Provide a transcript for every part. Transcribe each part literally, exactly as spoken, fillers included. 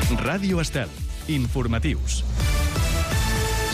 Ràdio Estel. Informatius.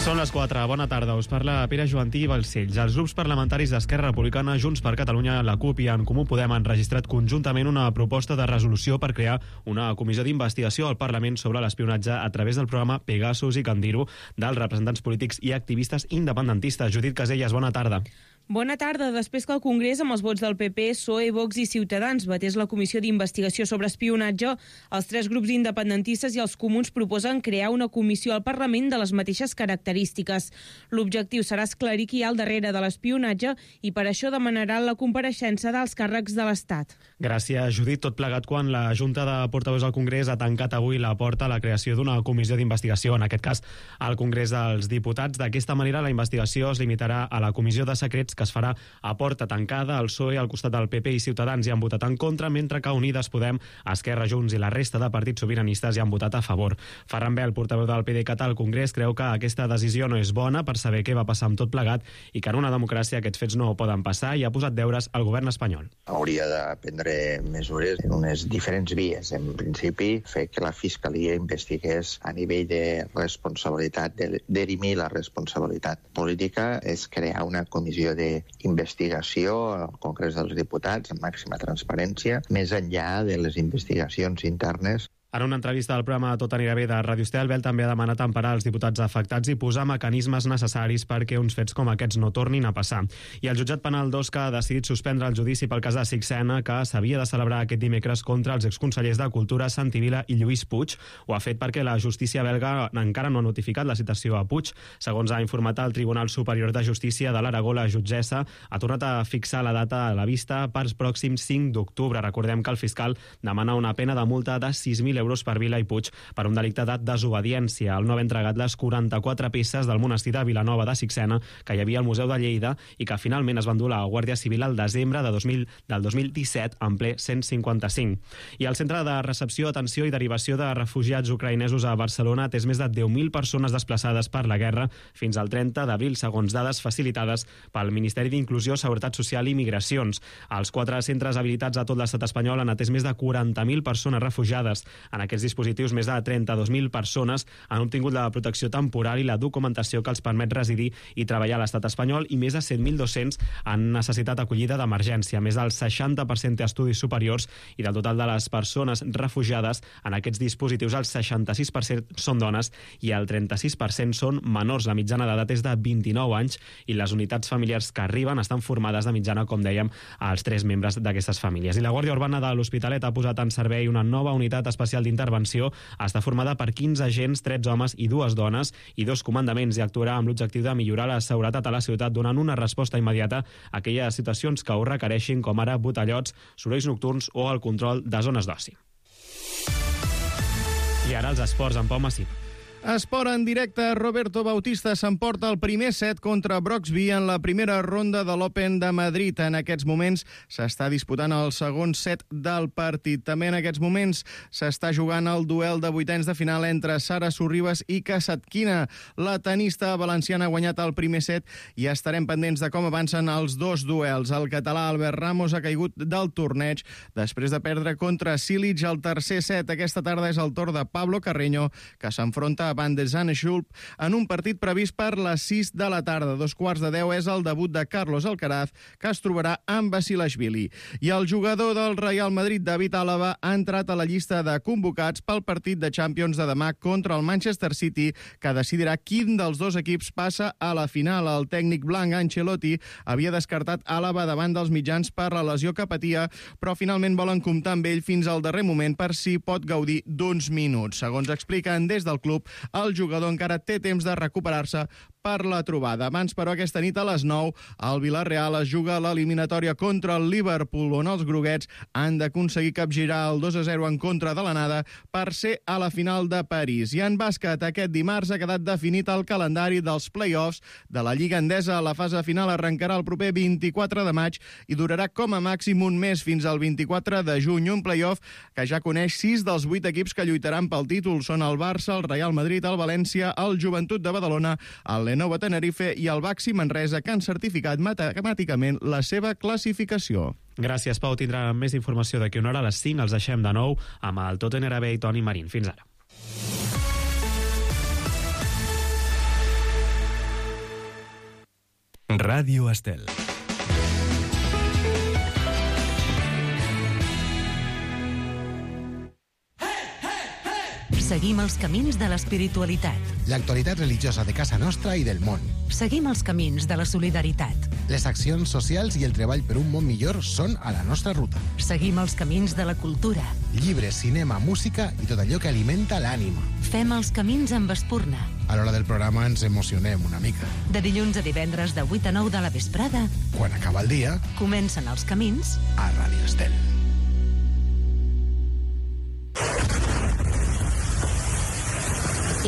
Són les quatre. Bona tarda. Us parla Pere Joantí i Balcells. Els grups parlamentaris d'Esquerra Republicana, Junts per Catalunya, la CUP i En Comú Podem han registrat conjuntament una proposta de resolució per crear una comissió d'investigació al Parlament sobre l'espionatge a través del programa Pegasus i Candiru dels representants polítics i activistes independentistes. Judit Caselles, bona tarda. Bona tarda. Després que el Congrés, amb els vots del P P, P S O E, Vox i Ciutadans, batés la comissió d'investigació sobre espionatge, els tres grups independentistes i els comuns proposen crear una comissió al Parlament de les mateixes característiques. L'objectiu serà esclarir qui hi ha al darrere de l'espionatge i per això demanaran la compareixença dels càrrecs de l'Estat. Gràcies, Judit. Tot plegat quan la Junta de Portaveus del Congrés ha tancat avui la porta a la creació d'una comissió d'investigació, en aquest cas al Congrés dels Diputats. D'aquesta manera, la investigació es limitarà a la comissió de secrets que es farà a porta tancada. El P S O E al costat del P P i Ciutadans hi han votat en contra, mentre que Unides Podem, Esquerra, Junts i la resta de partits sobiranistes hi han votat a favor. Ferran Bel, portaveu del PDeCAT al Congrés, creu que aquesta decisió no és bona per saber què va passar amb tot plegat i que en una democràcia aquests fets no poden passar, i ha posat deures al govern espanyol. Hauria de prendre mesures en unes diferents vies. En principi, fer que la Fiscalia investigués a nivell de responsabilitat, de dirimir la responsabilitat política, és crear una comissió de investigació al Congrés dels Diputats amb màxima transparència, més enllà de les investigacions internes. En una entrevista al programa Tot anirà bé de Ràdio Estel, Bel també ha demanat emparar els diputats afectats i posar mecanismes necessaris perquè uns fets com aquests no tornin a passar. I el jutjat penal d'Osca ha decidit suspendre el judici pel cas de Sixena, que s'havia de celebrar aquest dimecres contra els exconsellers de Cultura Santi Vila i Lluís Puig. Ho ha fet perquè la justícia belga encara no ha notificat la citació a Puig. Segons ha informat el Tribunal Superior de Justícia de l'Aragó, la jutgessa ha tornat a fixar la data a la vista per pròxim cinc d'octubre. Recordem que el fiscal demana una pena de multa de sis mil euros per Vila i Puig per un delicte de desobediència al no haver entregat les quaranta-quatre peces del monestir de Vilanova de Sixena que hi havia al Museu de Lleida i que finalment es van dur a la Guàrdia Civil al desembre de dos mil, del dos mil disset en ple cent cinquanta-cinc. I el Centre de Recepció, Atenció i Derivació de Refugiats Ucraïnesos a Barcelona ha atès més de deu mil persones desplaçades per la guerra fins al trenta d'abril, segons dades facilitades pel Ministeri d'Inclusió, Seguretat Social i Migracions. Els quatre centres habilitats a tot l'estat espanyol han atès més de quaranta mil persones refugiades. En aquests dispositius, més de trenta-dos mil persones han obtingut la protecció temporal i la documentació que els permet residir i treballar a l'estat espanyol, i més de set mil dos-cents han necessitat acollida d'emergència. Més del seixanta per cent té estudis superiors i del total de les persones refugiades en aquests dispositius el seixanta-sis per cent són dones i el trenta-sis per cent són menors. La mitjana d'edat és de vint-i-nou anys i les unitats familiars que arriben estan formades de mitjana, com dèiem, als tres membres d'aquestes famílies. I la Guàrdia Urbana de l'Hospitalet ha posat en servei una nova unitat especial d'intervenció. Està formada per quinze agents, tretze homes i dues dones i dos comandaments, i actuarà amb l'objectiu de millorar la seguretat a la ciutat, donant una resposta immediata a aquelles situacions que ho requereixin, com ara botellots, sorolls nocturns o el control de zones d'oci. I ara els esports amb Pau Massip. Esport en directe. Roberto Bautista s'emporta el primer set contra Broxby en la primera ronda de l'Open de Madrid. En aquests moments s'està disputant el segon set del partit. També en aquests moments s'està jugant el duel de vuitens de final entre Sara Sorribas i Kasatkina. La tenista valenciana ha guanyat el primer set i estarem pendents de com avancen els dos duels. El català Albert Ramos ha caigut del torneig després de perdre contra Cilic al tercer set. Aquesta tarda és el torn de Pablo Carreño, que s'enfronta a Van de Zandschulp en un partit previst per les sis de la tarda. Dos quarts de deu és el debut de Carlos Alcaraz, que es trobarà amb Basilashvili. I el jugador del Real Madrid, David Álava, ha entrat a la llista de convocats pel partit de Champions de demà contra el Manchester City, que decidirà quin dels dos equips passa a la final. El tècnic blanc Ancelotti havia descartat Álava davant dels mitjans per la lesió que patia, però finalment volen comptar amb ell fins al darrer moment per si pot gaudir d'uns minuts. Segons expliquen des del club, el jugador encara té temps de recuperar-se per la trobada. Abans, però, aquesta nit a les nou, el Villarreal es juga l'eliminatòria contra el Liverpool, on els groguets han d'aconseguir capgirar el dos a zero en contra de l'anada per ser a la final de París. I en bàsquet, aquest dimarts ha quedat definit el calendari dels play-offs de la Lliga Endesa. La fase final arrencarà el proper vint-i-quatre de maig i durarà com a màxim un mes, fins al vint-i-quatre de juny. Un play-off que ja coneix sis dels vuit equips que lluitaran pel títol. Són el Barça, el Real Madrid, el València, el Joventut de Badalona, el Lenovo Tenerife i el Baxi Manresa, que han certificat matemàticament la seva classificació. Gràcies, Pau. Tindrà més informació d'aquí una hora. A les cinc els deixem de nou amb el Tot anirà bé i Toni Marín. Fins ara. Ràdio Estel. Seguim els camins de l'espiritualitat. L'actualitat religiosa de casa nostra i del món. Seguim els camins de la solidaritat. Les accions socials i el treball per un món millor són a la nostra ruta. Seguim els camins de la cultura. Llibres, cinema, música i tot allò que alimenta l'ànima. Fem els camins amb espurna. A l'hora del programa ens emocionem una mica. De dilluns a divendres de vuit a nou de la vesprada, Quan acaba el dia, comencen els camins a Ràdio Estel.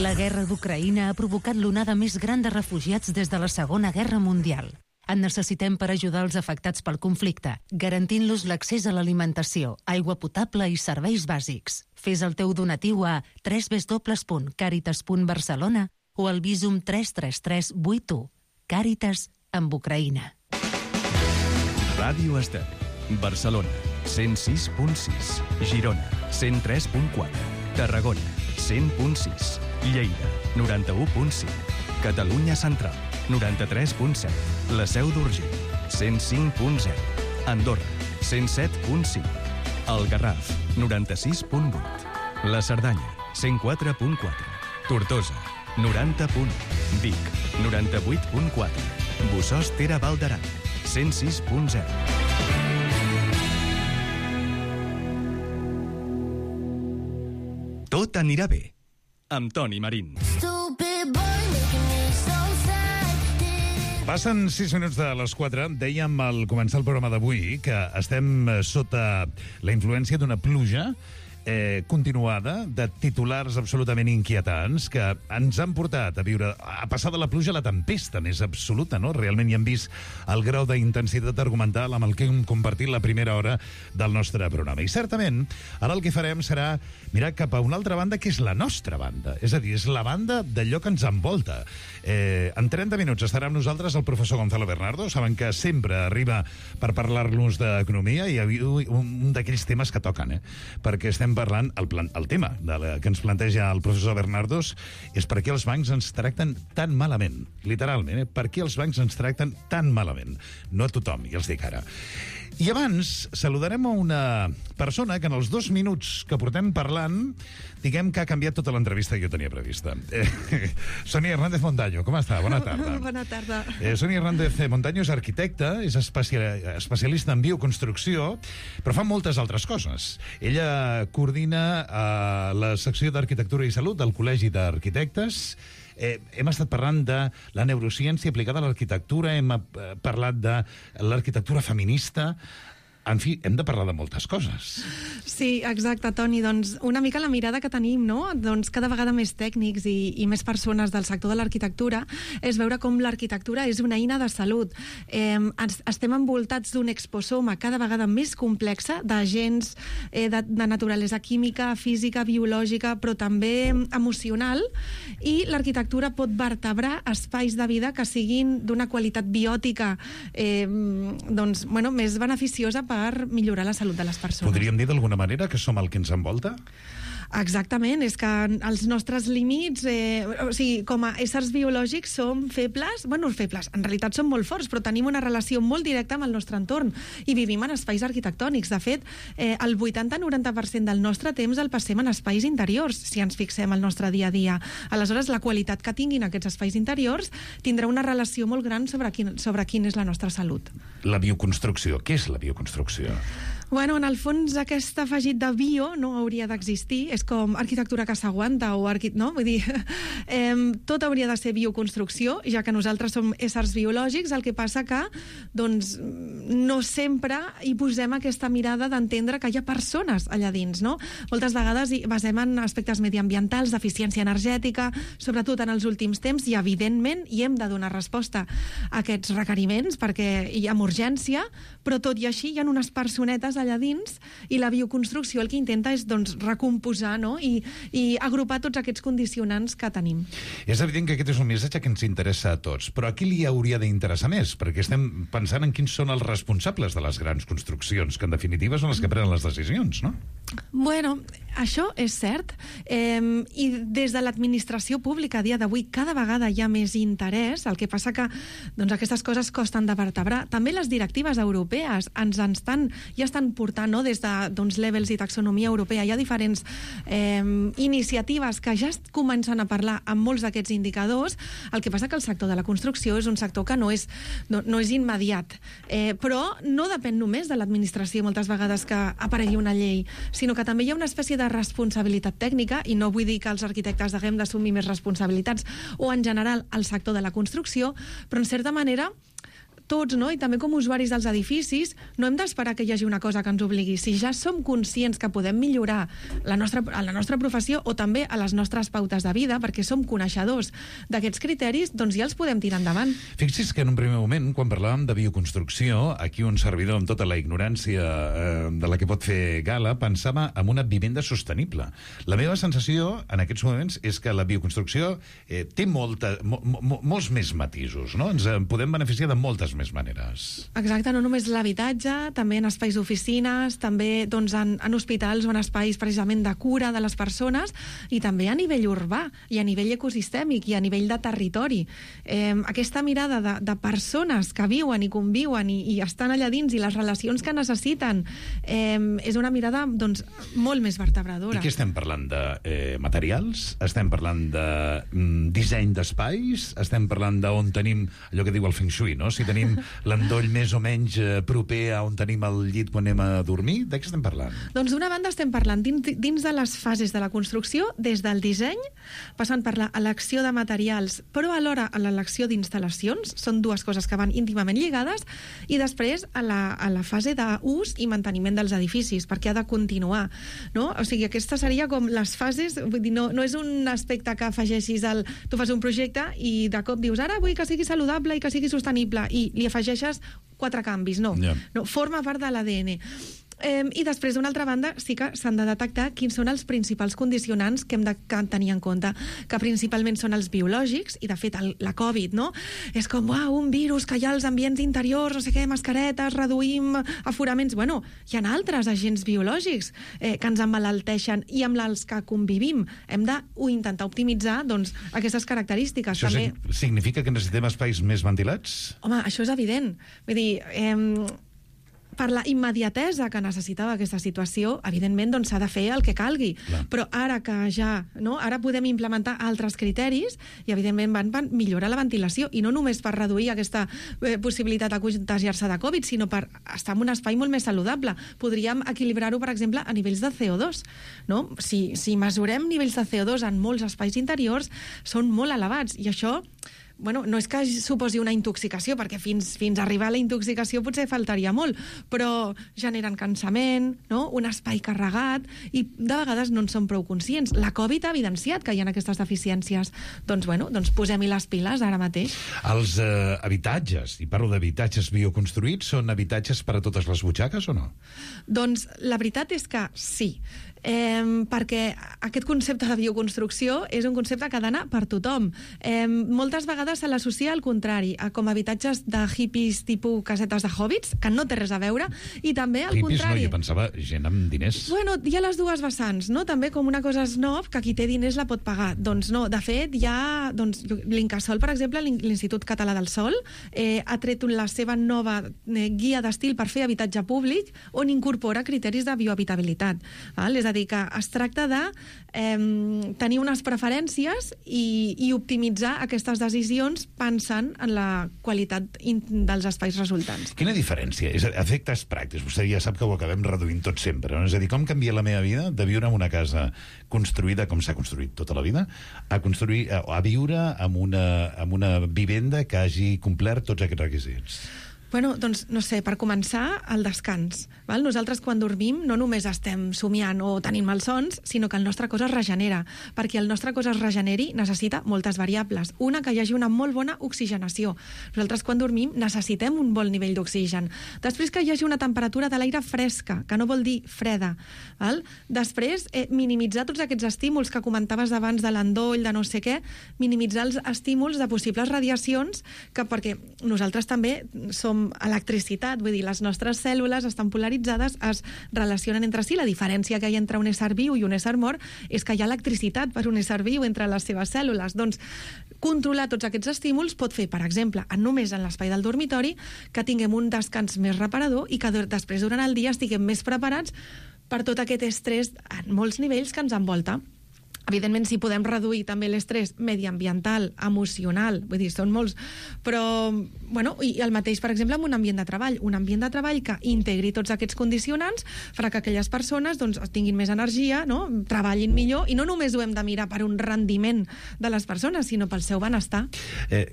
La guerra d'Ucraïna ha provocat l'onada més gran de refugiats des de la Segona Guerra Mundial. En necessitem per ajudar els afectats pel conflicte, garantint-los l'accés a l'alimentació, aigua potable i serveis bàsics. Fes el teu donatiu a w w w punt caritas punt barcelona o al Visum tres tres tres vuit u. Càritas amb Ucraïna. Ràdio Estel. Barcelona, cent sis punt sis. Girona, cent tres punt quatre. Tarragona, cent punt sis. Lleida, noranta-u punt cinc. Catalunya Central, noranta-tres punt set. La Seu d'Urgell, cent cinc punt zero. Andorra, cent set punt cinc. El Garraf, noranta-sis punt vuit. La Cerdanya, cent quatre punt quatre. Tortosa, noranta punt u. Vic, noranta-vuit punt quatre. Bossòst Ter Val d'Aran, cent sis punt zero. Tot anirà bé, amb Toni Marín. Passen sis minuts de les quatre. Dèiem al començar el programa d'avui que estem sota la influència d'una pluja eh, continuada de titulars absolutament inquietants que ens han portat a viure, a passar de la pluja a la tempesta més absoluta, no? Realment hi hem vist el grau d'intensitat argumental amb el que hem compartit la primera hora del nostre programa. I certament, ara el que farem serà mirar cap a una altra banda, que és la nostra banda. És a dir, és la banda d'allò que ens envolta. Eh, en trenta minuts estarà amb nosaltres el professor Gonzalo Bernardo. Saben que sempre arriba per parlar-nos d'economia i avui un d'aquells temes que toquen, eh? Perquè estem parlant, el, plan, el tema de la, que ens planteja el professor Bernardos és per què els bancs ens tracten tan malament. Literalment, eh? Per què els bancs ens tracten tan malament. No a tothom, ja els dic ara. I abans saludarem a una persona que en els dos minuts que portem parlant, diguem que ha canviat tota l'entrevista que jo tenia prevista. Eh, Sonia Hernández Montaño, com està? Bona tarda. Bona tarda. Eh, Sonia Hernández Montaño és arquitecta, és especial, especialista en bioconstrucció, però fa moltes altres coses. Ella coordina eh, la secció d'Arquitectura i Salut del Col·legi d'Arquitectes. Eh, hem estat parlant de la neurociència aplicada a l'arquitectura, hem eh, parlat de l'arquitectura feminista. En fi, hem de parlar de moltes coses. Sí, exacte, Toni. Doncs una mica la mirada que tenim, no? Doncs cada vegada més tècnics i, i més persones del sector de l'arquitectura és veure com l'arquitectura és una eina de salut. Eh, estem envoltats d'un exposoma cada vegada més complexa d'agents eh, de, de naturalesa química, física, biològica, però també emocional, i l'arquitectura pot vertebrar espais de vida que siguin d'una qualitat biòtica eh, doncs, bueno, més beneficiosa per millorar la salut de les persones. Podríem dir d'alguna manera que som el que ens envolta? Exactament, és que els nostres límits, eh, o sigui, com a éssers biològics som febles, bueno, febles, en realitat som molt forts, però tenim una relació molt directa amb el nostre entorn i vivim en espais arquitectònics. De fet, eh, el vuitanta a noranta per cent del nostre temps el passem en espais interiors, si ens fixem al nostre dia a dia. Aleshores, la qualitat que tinguin aquests espais interiors tindrà una relació molt gran sobre quin, sobre quin és la nostra salut. La bioconstrucció. Què és la bioconstrucció? Bueno, en el fons, aquest afegit de bio no hauria d'existir. És com arquitectura que s'aguanta o arqui... no? Vull dir, eh, tot hauria de ser bioconstrucció, ja que nosaltres som éssers biològics, el que passa que doncs, no sempre hi posem aquesta mirada d'entendre que hi ha persones allà dins, no? Moltes vegades hi basem en aspectes mediambientals, d'eficiència energètica, sobretot en els últims temps, i evidentment hi hem de donar resposta a aquests requeriments perquè hi ha urgència, però tot i així hi ha unes personetes allà dins, i la bioconstrucció el que intenta és doncs, recomposar, no? I, i agrupar tots aquests condicionants que tenim. És evident que aquest és un missatge que ens interessa a tots, però a qui li hauria d'interessar més? Perquè estem pensant en quins són els responsables de les grans construccions, que en definitiva són els que prenen les decisions, no? Bueno, això és cert, eh, i des de l'administració pública a dia d'avui cada vegada hi ha més interès, el que passa que doncs, aquestes coses costen de vertebrar. També les directives europees ens en estan, ja estan portant, no? Des de doncs, Levels i taxonomia europea, hi ha diferents eh, iniciatives que ja comencen a parlar amb molts d'aquests indicadors. El que passa que el sector de la construcció és un sector que no és, no, no és immediat, eh, però no depèn només de l'administració moltes vegades que aparegui una llei, sinó que també hi ha una espècie de responsabilitat tècnica, i no vull dir que els arquitectes haguem d'assumir més responsabilitats, o en general el sector de la construcció, però en certa manera tots, no? I també com a usuaris dels edificis, no hem d'esperar que hi hagi una cosa que ens obligui. Si ja som conscients que podem millorar la nostra, a la nostra professió o també a les nostres pautes de vida, perquè som coneixedors d'aquests criteris, doncs ja els podem tirar endavant. Fixi's que en un primer moment, quan parlàvem de bioconstrucció, aquí un servidor amb tota la ignorància eh, de la que pot fer gala, pensava en una vivenda sostenible. La meva sensació en aquests moments és que la bioconstrucció eh, té molta, mo, mo, molts més matisos, no? Ens en podem beneficiar de moltes més maneres. Exacte, no només l'habitatge, també en espais d'oficines, també doncs, en, en hospitals o en espais precisament de cura de les persones, i també a nivell urbà, i a nivell ecosistèmic, i a nivell de territori. Eh, aquesta mirada de, de persones que viuen i conviuen i, i estan allà dins, i les relacions que necessiten, eh, és una mirada doncs, molt més vertebradora. I què estem parlant? De eh, materials? Estem parlant de mm, disseny d'espais? Estem parlant d'on tenim allò que diu el Feng Shui, no? Si tenim l'endoll més o menys eh, proper a on tenim el llit quan anem a dormir? De què estem parlant? Doncs d'una banda estem parlant dins, dins de les fases de la construcció, des del disseny, passant per l'elecció de materials, però alhora a l'elecció d'instal·lacions, són dues coses que van íntimament lligades, i després a la, a la fase d'ús i manteniment dels edificis, perquè ha de continuar, no? O sigui, aquesta seria com les fases, vull dir, no, no és un aspecte que afegeixis el... Tu fas un projecte i de cop dius, ara vull que sigui saludable i que sigui sostenible, i li afegeixes quatre canvis, no. Yeah. No, forma part de l'A D N. Eh, I després, d'una altra banda, sí que s'han de detectar quins són els principals condicionants que hem de tenir en compte, que principalment són els biològics, i de fet el, la Covid, no? És com, uau, un virus que hi ha als ambients interiors, no sé què, mascaretes, reduïm aforaments... Bueno, hi ha altres agents biològics eh, que ens emmalalteixen i amb els que convivim. Hem d'intentar optimitzar doncs, aquestes característiques. Això també... significa que necessitem espais més ventilats? Home, això és evident. Vull dir... Eh, per la immediatesa que necessitava aquesta situació, evidentment doncs, s'ha de fer el que calgui. Clar. Però ara que ja, no, ara podem implementar altres criteris i evidentment van, van millorar la ventilació, i no només per reduir aquesta eh, possibilitat de contagiar-se de Covid, sinó per estar en un espai molt més saludable. Podríem equilibrar-ho, per exemple, a nivells de C O dos. No? Si, si mesurem nivells de C O dos en molts espais interiors, són molt elevats, i això... Bueno, no és que suposi una intoxicació, perquè fins, fins a arribar a la intoxicació potser faltaria molt, però generen cansament, no? Un espai carregat, i de vegades no en som prou conscients. La Covid ha evidenciat que hi ha aquestes deficiències. Doncs, bueno, doncs posem-hi les piles ara mateix. Els eh, habitatges, i parlo d'habitatges bioconstruïts, són habitatges per a totes les butxaques o no? Doncs la veritat és que sí. Eh, perquè aquest concepte de bioconstrucció és un concepte que ha d'anar per tothom. Eh, moltes vegades se l'associa al contrari, a com habitatges de hippies tipus casetes de hobbits, que no té res a veure, i també al hippies contrari. No, jo pensava gent amb diners. Bueno, hi ha les dues vessants, no? També com una cosa snob, que qui té diners la pot pagar. Doncs no, de fet, hi ha... Doncs, l'Incasòl, per exemple, l'Institut Català del Sòl, eh, ha tret la seva nova eh, guia d'estil per fer habitatge públic, on incorpora criteris de biohabitabilitat. Val? És a dir, que es tracta de eh, tenir unes preferències i, i optimitzar aquestes decisions pensant en la qualitat dels espais resultants. Quina diferència? És a dir, efectes pràctics. Vostè ja sap que ho acabem reduint tot sempre. No? És a dir, com canvia la meva vida de viure en una casa construïda com s'ha construït tota la vida a, construir, a, a viure en una, en una vivenda que hagi complert tots aquests requisits? Bueno, doncs, no sé, per començar, el descans. Val? Nosaltres, quan dormim, no només estem somiant o tenint malsons, sinó que el nostre cos es regenera. Perquè el nostre cos es regeneri necessita moltes variables. Una, que hi hagi una molt bona oxigenació. Nosaltres, quan dormim, necessitem un bon nivell d'oxigen. Després, que hi hagi una temperatura de l'aire fresca, que no vol dir freda. Val? Després, eh, minimitzar tots aquests estímuls que comentaves abans de l'endoll, de no sé què, minimitzar els estímuls de possibles radiacions, que perquè nosaltres també som electricitat, vull dir, les nostres cèl·lules estan polaritzades, es relacionen entre si. La diferència que hi ha entre un ésser viu i un ésser mort és que hi ha electricitat per un ésser viu entre les seves cèl·lules. Doncs controlar tots aquests estímuls pot fer, per exemple, només en l'espai del dormitori, que tinguem un descans més reparador i que després, durant el dia, estiguem més preparats per tot aquest estrès en molts nivells que ens envolta. Evidentment, si podem reduir també l'estrès mediambiental, emocional, vull dir, són molts, però, bueno, i el mateix, per exemple, amb un ambient de treball. Un ambient de treball que integri tots aquests condicionants farà que aquelles persones doncs, tinguin més energia, no? Treballin millor, i no només ho hem de mirar per un rendiment de les persones, sinó pel seu benestar. Eh,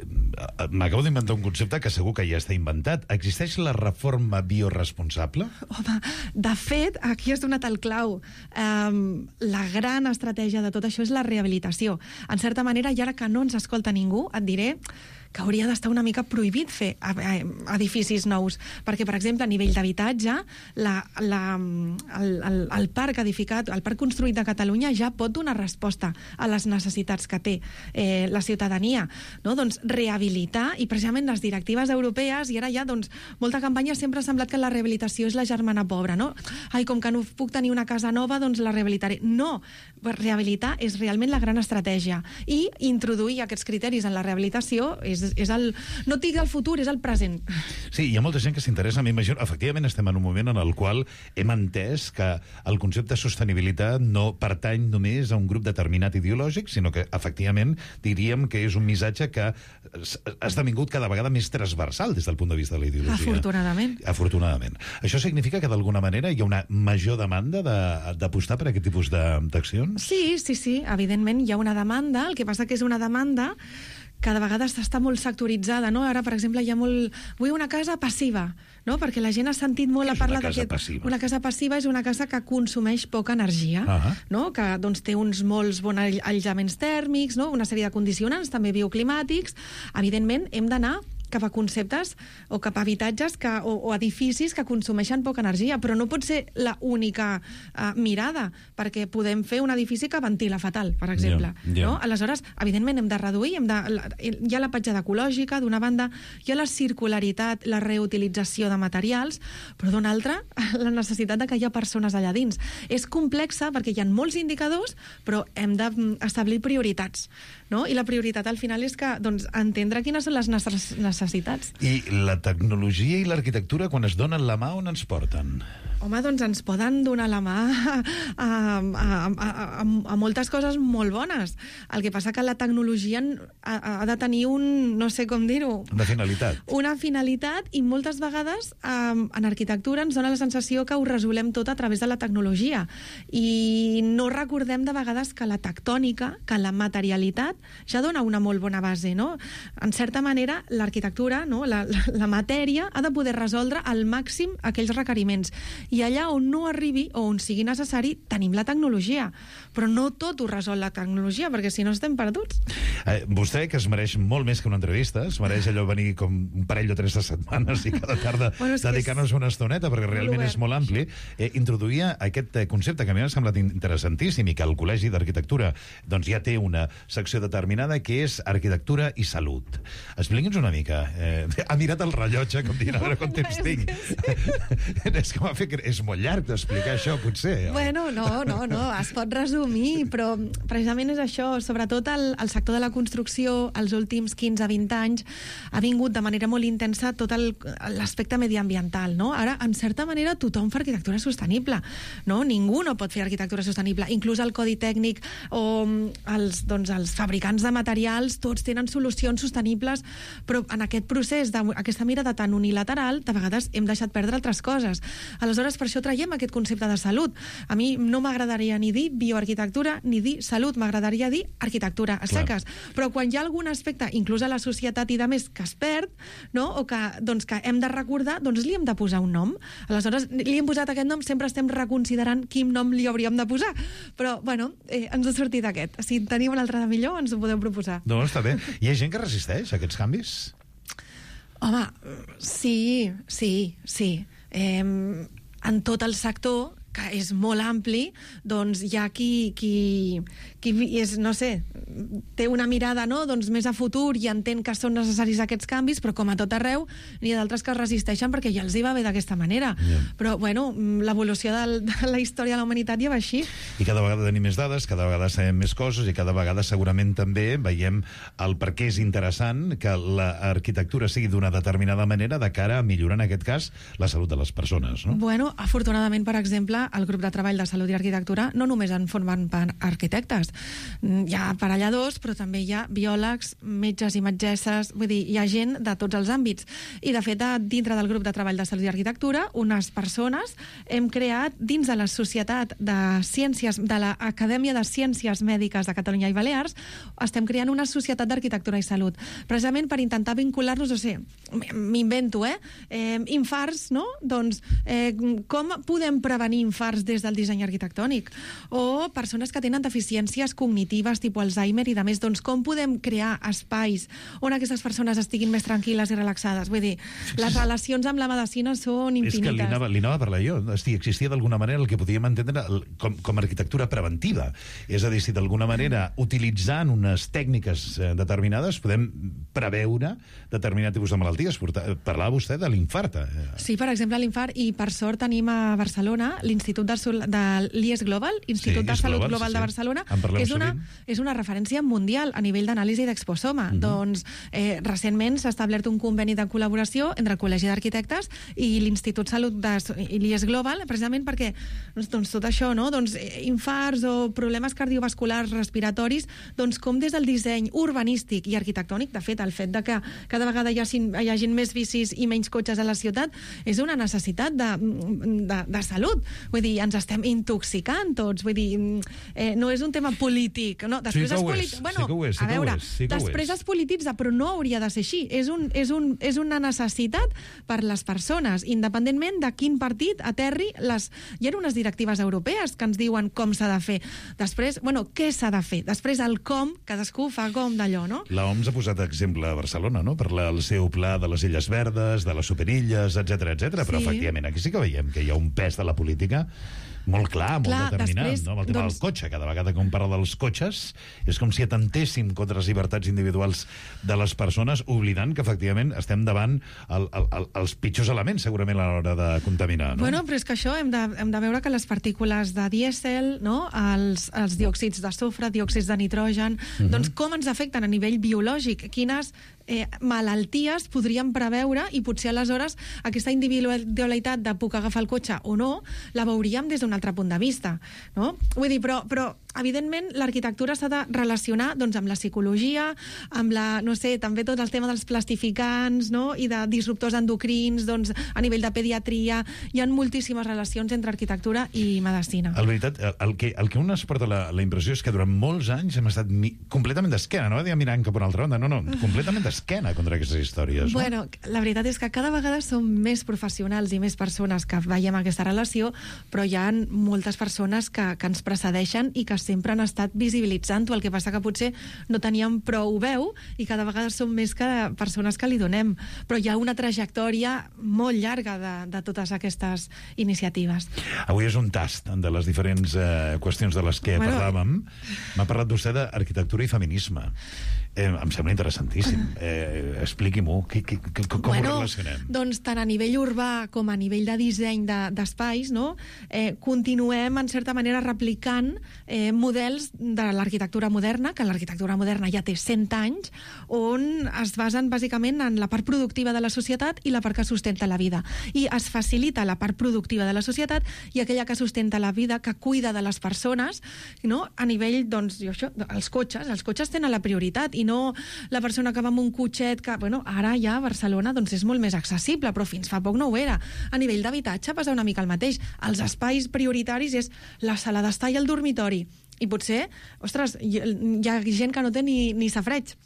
M'acabo d'inventar un concepte que segur que ja està inventat. Existeix la reforma bioresponsable? Home, de fet, aquí has donat el clau. Um, la gran estratègia de tot això és la rehabilitació. En certa manera, i ara que no ens escolta ningú, et diré que hauria d'estar una mica prohibit fer edificis nous, perquè, per exemple, a nivell d'habitatge, la, la, el, el, el parc edificat, el parc construït de Catalunya ja pot donar resposta a les necessitats que té eh, la ciutadania, no? Doncs rehabilitar, i precisament les directives europees, i ara ja, doncs, molta campanya sempre ha semblat que la rehabilitació és la germana pobra, no? Ai, com que no puc tenir una casa nova, doncs la rehabilitaré. No, rehabilitar és realment la gran estratègia, i introduir aquests criteris en la rehabilitació és És, és el, no et dic el futur, és el present. Sí, hi ha molta gent que s'interessa, m'imagino. Efectivament, estem en un moment en el qual hem entès que el concepte de sostenibilitat no pertany només a un grup determinat ideològic, sinó que, efectivament, diríem que és un missatge que ha esdevingut cada vegada més transversal des del punt de vista de la ideologia. Afortunadament. Afortunadament. Això significa que, d'alguna manera, hi ha una major demanda d'apostar per aquest tipus d'accions? Sí, sí, sí. Evidentment, hi ha una demanda. El que passa que és una demanda cada vegada està molt sectoritzada, no? Ara, per exemple, hi ha molt... Vull una casa passiva, no? Perquè la gent ha sentit molt a parlar d'aquest... Una casa passiva? Una casa passiva és una casa que consumeix poca energia, uh-huh. no? Que doncs, té uns molts bons aïllaments tèrmics, no? Una sèrie de condicionants, també bioclimàtics. Evidentment, hem d'anar cap a conceptes o cap a habitatges que, o, o edificis que consumeixen poca energia, però no pot ser la única uh, mirada, perquè podem fer un edifici que ventila fatal, per exemple. Yeah, yeah. No? Aleshores, evidentment, hem de reduir, hem de, la, hi ha la petjada ecològica, d'una banda, hi ha la circularitat, la reutilització de materials, però d'una altra, la necessitat de que hi ha persones allà dins. És complexa perquè hi ha molts indicadors, però hem d'establir prioritats, no? I la prioritat al final és que, doncs, entendre quines són les nostres necessitats. I la tecnologia i l'arquitectura, quan es donen la mà, on ens porten? Home, doncs ens poden donar la mà a, a, a, a, a moltes coses molt bones. El que passa que la tecnologia ha, ha de tenir un, no sé com dir-ho... Una finalitat. Una finalitat, i moltes vegades um, en arquitectura ens dona la sensació que ho resolem tot a través de la tecnologia. I no recordem de vegades que la tectònica, que la materialitat, ja dona una molt bona base, no? En certa manera, l'arquitectura, no? la, la, la matèria, ha de poder resoldre al màxim aquells requeriments. I allà on no arribi o on sigui necessari tenim la tecnologia, però no tot ho resol la tecnologia, perquè si no estem perduts. Eh, vostè, que es mereix molt més que una entrevista, es mereix allò venir com un parell o tres de setmanes i cada tarda bueno, dedicar-nos una estoneta, perquè realment és molt ampli, eh, introduïa aquest concepte que a mi m'ha semblat interessantíssim i que el Col·legi d'Arquitectura doncs, ja té una secció determinada, que és arquitectura i salut. Expliqui'ns una mica. Eh, ha mirat el rellotge, com dient, a veure quant temps tinc. És que m'ha fet és molt llarg d'explicar això, potser. Bueno, no, no, no, es pot resumir, però precisament és això, sobretot el, el sector de la construcció, els últims quinze a vint anys, ha vingut de manera molt intensa tot l'aspecte mediambiental, no? Ara, en certa manera, tothom fa arquitectura sostenible, no? Ningú no pot fer arquitectura sostenible, inclús el codi tècnic o els, doncs, els fabricants de materials, tots tenen solucions sostenibles, però en aquest procés, d'aquesta mirada tan unilateral, de vegades hem deixat perdre altres coses. Aleshores, per això traiem aquest concepte de salut. A mi no m'agradaria ni dir bioarquitectura ni dir salut, m'agradaria dir arquitectura a seques. Clar. Però quan hi ha algun aspecte, inclús a la societat i de més, que es perd, no? O que, doncs, que hem de recordar, doncs li hem de posar un nom. Aleshores, li hem posat aquest nom, sempre estem reconsiderant quin nom li hauríem de posar. Però, bueno, eh, ens ha sortit aquest. Si teniu un altre de millor, ens ho podeu proposar. No, està bé. Hi ha gent que resisteix a aquests canvis? Home, sí, sí, sí. Eh, en tot el sector que és molt ampli, doncs hi ha qui, qui, qui és, no sé, té una mirada, no?, doncs més a futur i entén que són necessaris aquests canvis, però com a tot arreu n'hi ha d'altres que es resisteixen perquè ja els hi va bé d'aquesta manera. Yeah. Però, bueno, l'evolució de, de la història de la humanitat ja va així. I cada vegada tenim més dades, cada vegada sabem més coses i cada vegada segurament també veiem el per què és interessant que l'arquitectura sigui d'una determinada manera de cara a millorar, en aquest cas, la salut de les persones, no? Bueno, afortunadament, per exemple, el grup de treball de salut i arquitectura no només en formen part arquitectes. Hi ha aparelladors, però també hi ha biòlegs, metges i metgesses, vull dir, hi ha gent de tots els àmbits. I, de fet, dintre del grup de treball de salut i arquitectura, unes persones hem creat, dins de la Societat de Ciències, de l'Acadèmia de Ciències Mèdiques de Catalunya i Balears, estem creant una societat d'arquitectura i salut, precisament per intentar vincular-nos, o sigui, m'invento, eh? eh infarts, no? Doncs, eh, com podem prevenir infarts des del disseny arquitectònic? O persones que tenen deficiències cognitives, tipus Alzheimer i de més, doncs com podem crear espais on aquestes persones estiguin més tranquil·les i relaxades? Vull dir, les relacions amb la medicina són infinites. És que li anava, li anava a parlar jo. Hosti, existia d'alguna manera el que podíem entendre com, com a arquitectura preventiva. És a dir, si d'alguna manera, utilitzant unes tècniques determinades, podem preveure determinat tipus de malalties. Parlava vostè de l'infart. Sí, per exemple, l'infart, i per sort tenim a Barcelona l'Institut de, de l'I E S Global, Institut sí, de Salut Global, global sí, sí. de Barcelona, que és una, és una referència mundial a nivell d'anàlisi d'exposoma. Uh-huh. Doncs, eh, recentment s'ha establert un conveni de col·laboració entre el Col·legi d'Arquitectes i l'Institut Salut de l'I E S Global, precisament perquè doncs, tot això, no? Doncs, infarts o problemes cardiovasculars respiratoris, doncs com des del disseny urbanístic i arquitectònic, de fet, el fet de que cada vegada hi hagi, hi hagi més bicis i menys cotxes a la ciutat és una necessitat de, de, de salut. Vull dir, ens estem intoxicant tots. Vull dir, eh, no és un tema polític. No? Després sí que ho és. és. Bueno, sí que ho és. Sí a veure, sí que després es polititza, però no hauria de ser així. És, un, és, un, és una necessitat per les persones, independentment de quin partit aterri les... Hi ha unes directives europees que ens diuen com s'ha de fer. Després, bueno, què s'ha de fer? Després el com, cadascú fa com d'allò, no? La O M S ha posat exemple a Barcelona, no?, per la, el seu pla de les Illes Verdes, de les Superilles, etcètera, etcètera. Però, sí, efectivament, aquí sí que veiem que hi ha un pes de la política molt clar, molt clar, determinat, després, no? Amb el tema doncs... del cotxe. Cada vegada que un parla dels cotxes és com si atentéssim contra les llibertats individuals de les persones, oblidant que, efectivament, estem davant el, el, el, els pitjors elements, segurament, a l'hora de contaminar, no? Bueno, però és que això hem de, hem de veure que les partícules de dièsel, no?, els, els diòxids de sofre, diòxids de nitrogen, uh-huh. doncs com ens afecten a nivell biològic? Quines eh, malalties podríem preveure, i potser aleshores aquesta individualitat de puc agafar el cotxe o no, la veuríem des d'un altre punt de vista, no? Vull dir, però, però evidentment, l'arquitectura s'ha de relacionar doncs, amb la psicologia, amb la, no sé, també tot el tema dels plastificants, no?, i de disruptors endocrins, doncs, a nivell de pediatria. Hi ha moltíssimes relacions entre arquitectura i medicina. En veritat, el que, el que un es porta la, la impressió és que durant molts anys hem estat mi, completament d'esquena, no va dir mirant cap a una altra banda, no, no, completament d'esquena contra aquestes històries. No? Bueno, la veritat és que cada vegada som més professionals i més persones que veiem aquesta relació, però hi ha moltes persones que, que ens precedeixen i que sempre han estat visibilitzant-ho, el que passa que potser no teníem prou veu i cada vegada som més que persones que li donem, però hi ha una trajectòria molt llarga de, de totes aquestes iniciatives. Avui és un tast de les diferents eh, qüestions de les que bueno... parlàvem. M'ha parlat vostè d'arquitectura i feminisme. Eh, em sembla interessantíssim. Eh, Expliqui-m'ho. Com bueno, ho relacionem? Doncs tant a nivell urbà com a nivell de disseny d'espais, de, no? eh, continuem, en certa manera, replicant eh, models de l'arquitectura moderna, que l'arquitectura moderna ja té cent anys, on es basen bàsicament en la part productiva de la societat i la part que sustenta la vida. I es facilita la part productiva de la societat i aquella que sustenta la vida, que cuida de les persones, no? A nivell, doncs, jo, això, els cotxes, els cotxes tenen la prioritat i no la persona que va amb un cotxet que, bueno, ara ja a Barcelona doncs és molt més accessible, però fins fa poc no ho era. A nivell d'habitatge passa una mica el mateix. Els espais prioritaris és la sala d'estar i el dormitori. I potser, ostres, hi ha gent que no té ni, ni safareig.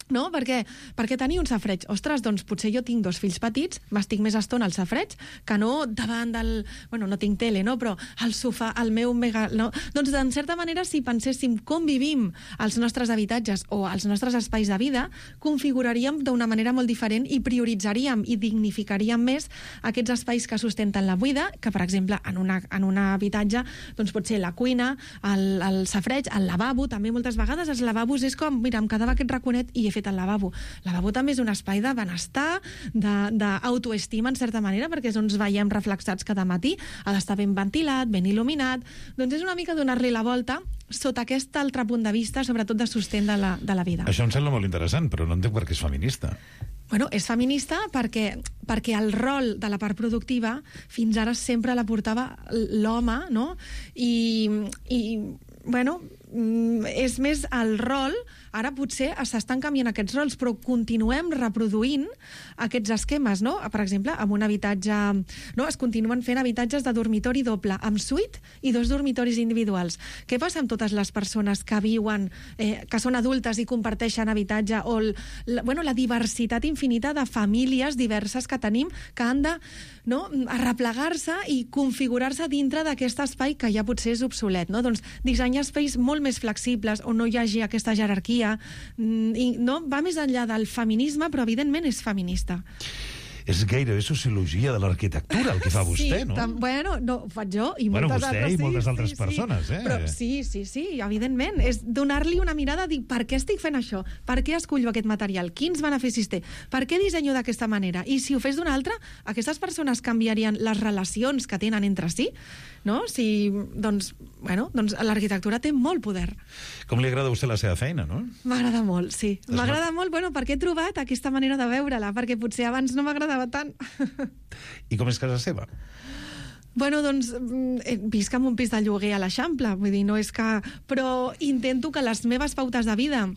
No? Perquè, perquè tenir un safareig, ostres, doncs potser jo tinc dos fills petits, m'estic més estona al safareig que no davant del... Bueno, no tinc tele, no? Però al sofà, al meu mega... No? Doncs, en certa manera, si penséssim com vivim als nostres habitatges o als nostres espais de vida, configuraríem d'una manera molt diferent i prioritzaríem i dignificaríem més aquests espais que sustenten la vida, que, per exemple, en, una, en un habitatge, doncs pot ser la cuina, el, el safareig, el lavabo, també moltes vegades els lavabos és com, mira, em quedava aquest raconet i he fet al lavabo. El lavabo també és un espai de benestar, d'autoestima, en certa manera, perquè és on ens veiem reflexats cada matí. Ha d'estar ben ventilat, ben il·luminat. Doncs és una mica donar-li la volta sota aquest altre punt de vista, sobretot de sostén de la, de la vida. Això em sembla molt interessant, però no entenc per què és feminista. Bueno, és feminista perquè, perquè el rol de la part productiva fins ara sempre la portava l'home, no? I, i bueno, és més el rol, ara potser s'estan canviant aquests rols, però continuem reproduint aquests esquemes, no? Per exemple, amb un habitatge... No? Es continuen fent habitatges de dormitori doble, amb suite i dos dormitoris individuals. Què passa amb totes les persones que viuen, eh, que són adultes i comparteixen habitatge, o el, la, bueno, la diversitat infinita de famílies diverses que tenim, que han de, no, arreplegar-se i configurar-se dintre d'aquest espai que ja potser és obsolet, no? Doncs dissenyar espais molt més flexibles, on no hi hagi aquesta jerarquia, i no va més enllà del feminisme, però evidentment és feminista. És gairebé sociologia de l'arquitectura el que fa vostè, sí, no? Tam, bueno, no, ho faig jo i bueno, moltes vostè altres. i moltes sí, altres sí, persones, sí. eh? Però sí, sí, sí, evidentment. És donar-li una mirada, dir, per què estic fent això? Per què escollo aquest material? Quins beneficis té? Per què dissenyo d'aquesta manera? I si ho fes d'una altra, aquestes persones canviarien les relacions que tenen entre si? No? Si, doncs, bueno, doncs l'arquitectura té molt poder. Com li agrada a vostè la seva feina, no? M'agrada molt, sí. M'agrada molt, bueno, perquè he trobat aquesta manera de veure-la, perquè potser abans no m'agradava tant. I com és casa seva? Bueno, doncs, visc en un pis de lloguer a l'Eixample, vull dir, no és que... Però intento que les meves pautes de vida...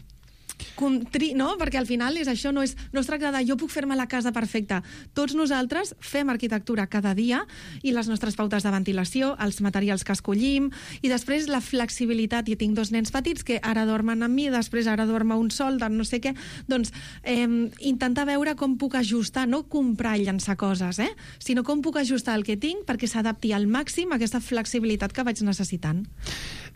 Contri, no? Perquè al final és això, no, és, no es tracta de jo puc fer-me la casa perfecta. Tots nosaltres fem arquitectura cada dia i les nostres pautes de ventilació, els materials que escollim i després la flexibilitat. I tinc dos nens petits que ara dormen amb mi, després ara dorme un sol, de no sé què. Doncs eh, intentar veure com puc ajustar, no comprar i llançar coses, eh? Sinó com puc ajustar el que tinc perquè s'adapti al màxim a aquesta flexibilitat que vaig necessitant.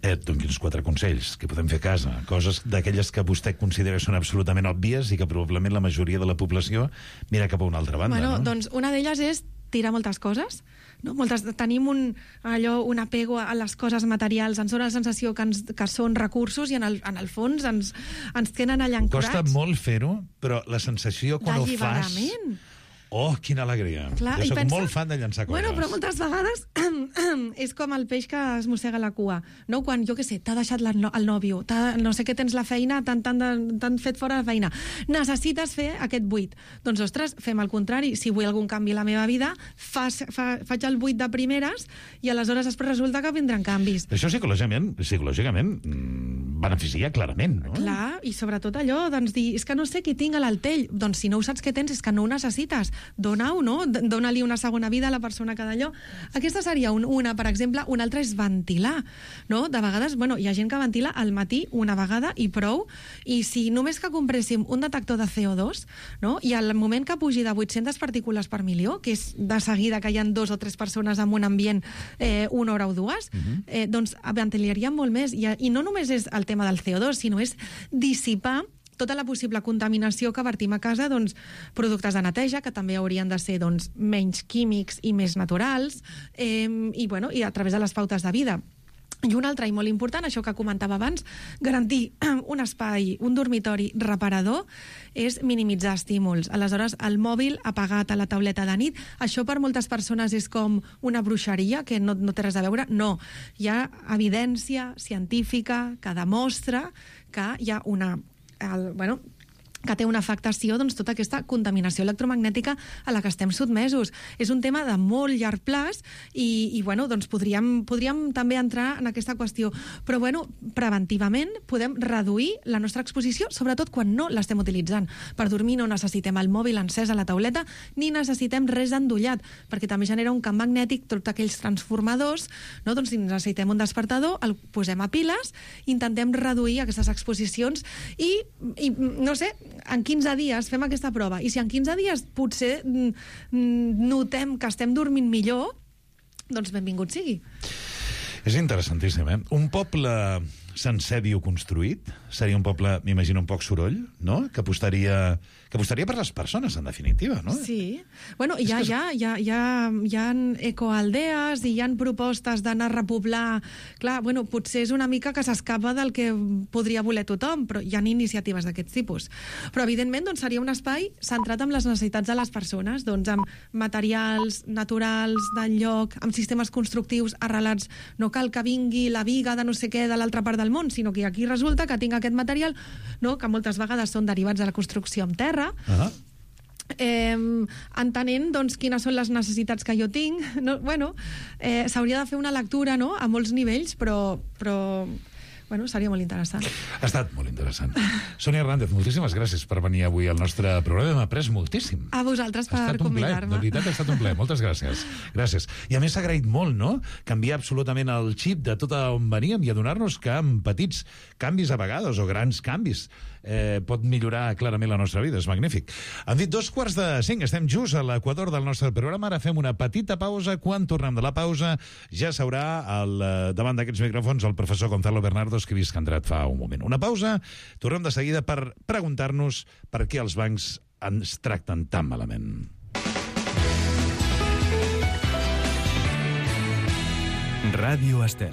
Eh, doncs quatre consells que podem fer a casa, coses d'aquelles que vostè considera que són absolutament òbvies i que probablement la majoria de la població mira cap a una altra banda, bueno, no? Doncs una d'elles és tirar moltes coses, no? Moltes, tenim un, allò, un apego a les coses materials, ens dona la sensació que, ens, que són recursos i en el, en el fons ens, ens tenen allà ancorats. Costa molt fer-ho, però la sensació quan ho fas... Oh, quina alegria. Clar, jo soc pensa... molt fan de llançar coses. Bueno, però moltes vegades és com el peix que es mossega la cua, no? Quan, jo què sé, t'ha deixat la, el nòvio, no sé què tens la feina, t'han fet fora la feina. Necessites fer aquest buit. Doncs, ostres, fem el contrari. Si vull algun canvi a la meva vida, fas, fa, faig el buit de primeres i aleshores després resulta que vindran canvis. Això psicològicament, psicològicament beneficia clarament, no? Clar, i sobretot allò, doncs dir, és que no sé què tinc a l'altell. Doncs si no ho saps què tens, és que no ho necessites. Dona-ho, no? Dona-li una segona vida a la persona que d'allò. Aquesta seria un, una, per exemple. Una altra és ventilar, no? De vegades, bueno, hi ha gent que ventila al matí una vegada i prou, i si només que compréssim un detector de C O dos, no? I al moment que pugi de vuit-centes partícules per milió, que és de seguida que hi ha dos o tres persones en un ambient eh, una hora o dues, uh-huh. eh, doncs ventilaríem molt més. I, I no només és el tema del C O dos, sinó és dissipar tota la possible contaminació que vertim a casa, doncs, productes de neteja, que també haurien de ser doncs, menys químics i més naturals, eh, i, bueno, i a través de les pautes de vida. I un altre, i molt important, això que comentava abans, garantir un espai, un dormitori reparador, és minimitzar estímuls. Aleshores, el mòbil apagat a la tauleta de nit, això per moltes persones és com una bruixeria, que no, no té res a veure. No, hi ha evidència científica que demostra que hi ha una... El, bueno, que té una afectació, doncs, tota aquesta contaminació electromagnètica a la que estem sotmesos. És un tema de molt llarg plaç i, i bueno, doncs podríem, podríem també entrar en aquesta qüestió. Però, bueno, preventivament podem reduir la nostra exposició, sobretot quan no l'estem utilitzant. Per dormir no necessitem el mòbil encès a la tauleta ni necessitem res endollat, perquè també genera un camp magnètic, tots aquells transformadors, no? Doncs si necessitem un despertador, el posem a piles, intentem reduir aquestes exposicions i, i no sé, en quinze dies fem aquesta prova, i si en quinze dies potser notem que estem dormint millor, doncs benvingut sigui. És interessantíssim, eh? Un poble sencer bioconstruït seria un poble, m'imagino, un poc soroll, no? Que apostaria, que apostaria per les persones, en definitiva, no? Sí. Bueno, hi ha, hi ha, hi ha, hi ha, hi ha ecoaldees i hi ha propostes d'anar a repoblar. Clar, bueno, potser és una mica que s'escapa del que podria voler tothom, però hi ha iniciatives d'aquest tipus. Però, evidentment, doncs, seria un espai centrat en les necessitats de les persones, doncs, amb materials naturals del lloc, amb sistemes constructius arrelats. No cal que vingui la viga de no sé què de l'altra part del món, sinó que aquí resulta que tinc aquest material, no, que moltes vegades són derivats de la construcció amb terra, uh-huh. eh, entenent doncs, quines són les necessitats que jo tinc. No, bueno, eh, s'hauria de fer una lectura, no?, a molts nivells, però... però bueno, seria molt interessant. Ha estat molt interessant. Sònia Hernández, moltíssimes gràcies per venir avui al nostre programa. Hem après moltíssim. A vosaltres per convidar-me. De veritat, ha estat un plaer. Moltes gràcies. Gràcies. I a més s'ha agraït molt, no?, canviar absolutament el xip de tot on veníem i adonar-nos que amb petits canvis a vegades, o grans canvis, eh, pot millorar clarament la nostra vida. És magnífic. Han dit dos quarts de cinc. Estem just a l'equador del nostre programa. Ara fem una petita pausa. Quan tornem de la pausa ja s'haurà al, davant d'aquests micròfons el professor Gonzalo Bernardo, que he vist que ha entrat fa un moment. Una pausa, tornem de seguida per preguntar-nos per què els bancs ens tracten tan malament. Ràdio Estel.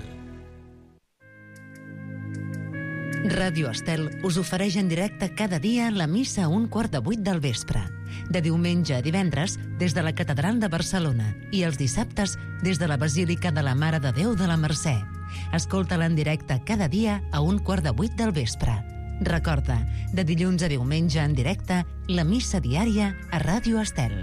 Ràdio Estel us ofereix en directe cada dia la missa a un quart de vuit del vespre. De diumenge a divendres, des de la Catedral de Barcelona, i els dissabtes, des de la Basílica de la Mare de Déu de la Mercè. Escolta-la en directe cada dia a un quart de vuit del vespre. Recorda, de dilluns a diumenge en directe, la missa diària a Ràdio Estel.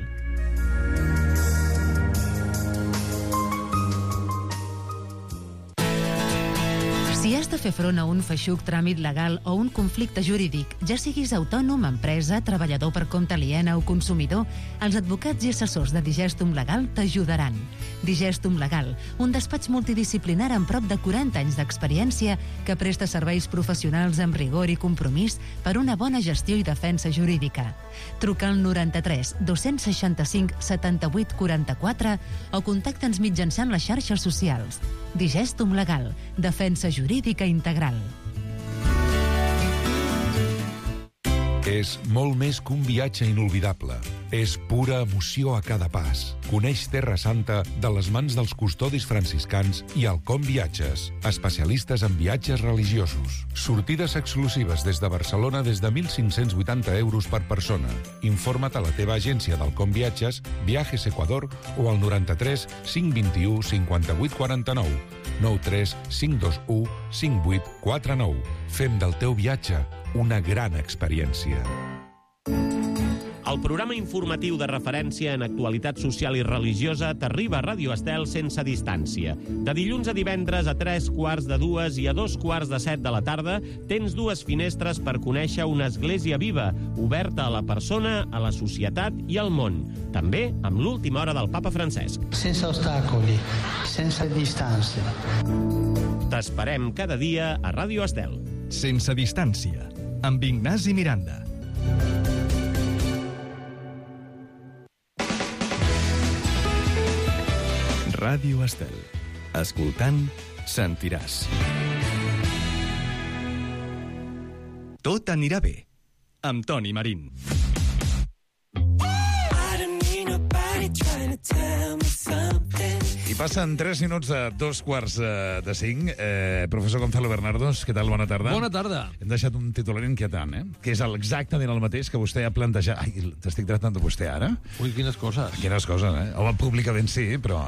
Si has de fer front a un feixuc tràmit legal o un conflicte jurídic, ja siguis autònom, empresa, treballador per compte aliena o consumidor, els advocats i assessors de Digestum Legal t'ajudaran. Digestum Legal, un despatx multidisciplinar amb prop de quaranta anys d'experiència que presta serveis professionals amb rigor i compromís per una bona gestió i defensa jurídica. Truca al noranta-tres dos-cents seixanta-cinc setanta-vuit quaranta-quatre o contacta'ns mitjançant les xarxes socials. Digestum Legal, defensa jurídica integral. És molt més que un viatge inolvidable. És pura emoció a cada pas. Coneix Terra Santa de les mans dels custodis franciscans i Alcom Viatges, especialistes en viatges religiosos. Sortides exclusives des de Barcelona des de mil cinc-cents vuitanta euros per persona. Informa't a la teva agència d'Alcom Viatges, Viajes Ecuador o al noranta-tres cinc vint-i-u cinquanta-vuit quaranta-nou. nou tres cinc dos u cinc vuit quatre nou. Fem del teu viatge una gran experiència. El programa informatiu de referència en actualitat social i religiosa t'arriba a Ràdio Estel sense distància. De dilluns a divendres a tres quarts de dues i a dos quarts de set de la tarda tens dues finestres per conèixer una església viva, oberta a la persona, a la societat i al món. També amb l'última hora del Papa Francesc. Sense ostacoli, sense distància. T'esperem cada dia a Ràdio Estel. Sense distància, amb Ignasi Miranda. Ràdio Estel. Escoltant, sentiràs. Tot anirà bé, amb Toni Marín. I passen tres minuts de dos quarts de cinc. Eh, professor Gonzalo Bernardos, què tal? Bona tarda. Bona tarda. Hem deixat un titular inquietant, eh? Que és exactament el mateix que vostè ha plantejat. Ai, t'estic tractant de vostè ara? Ui, quines coses. Quines coses, eh? Home, públicament sí, però...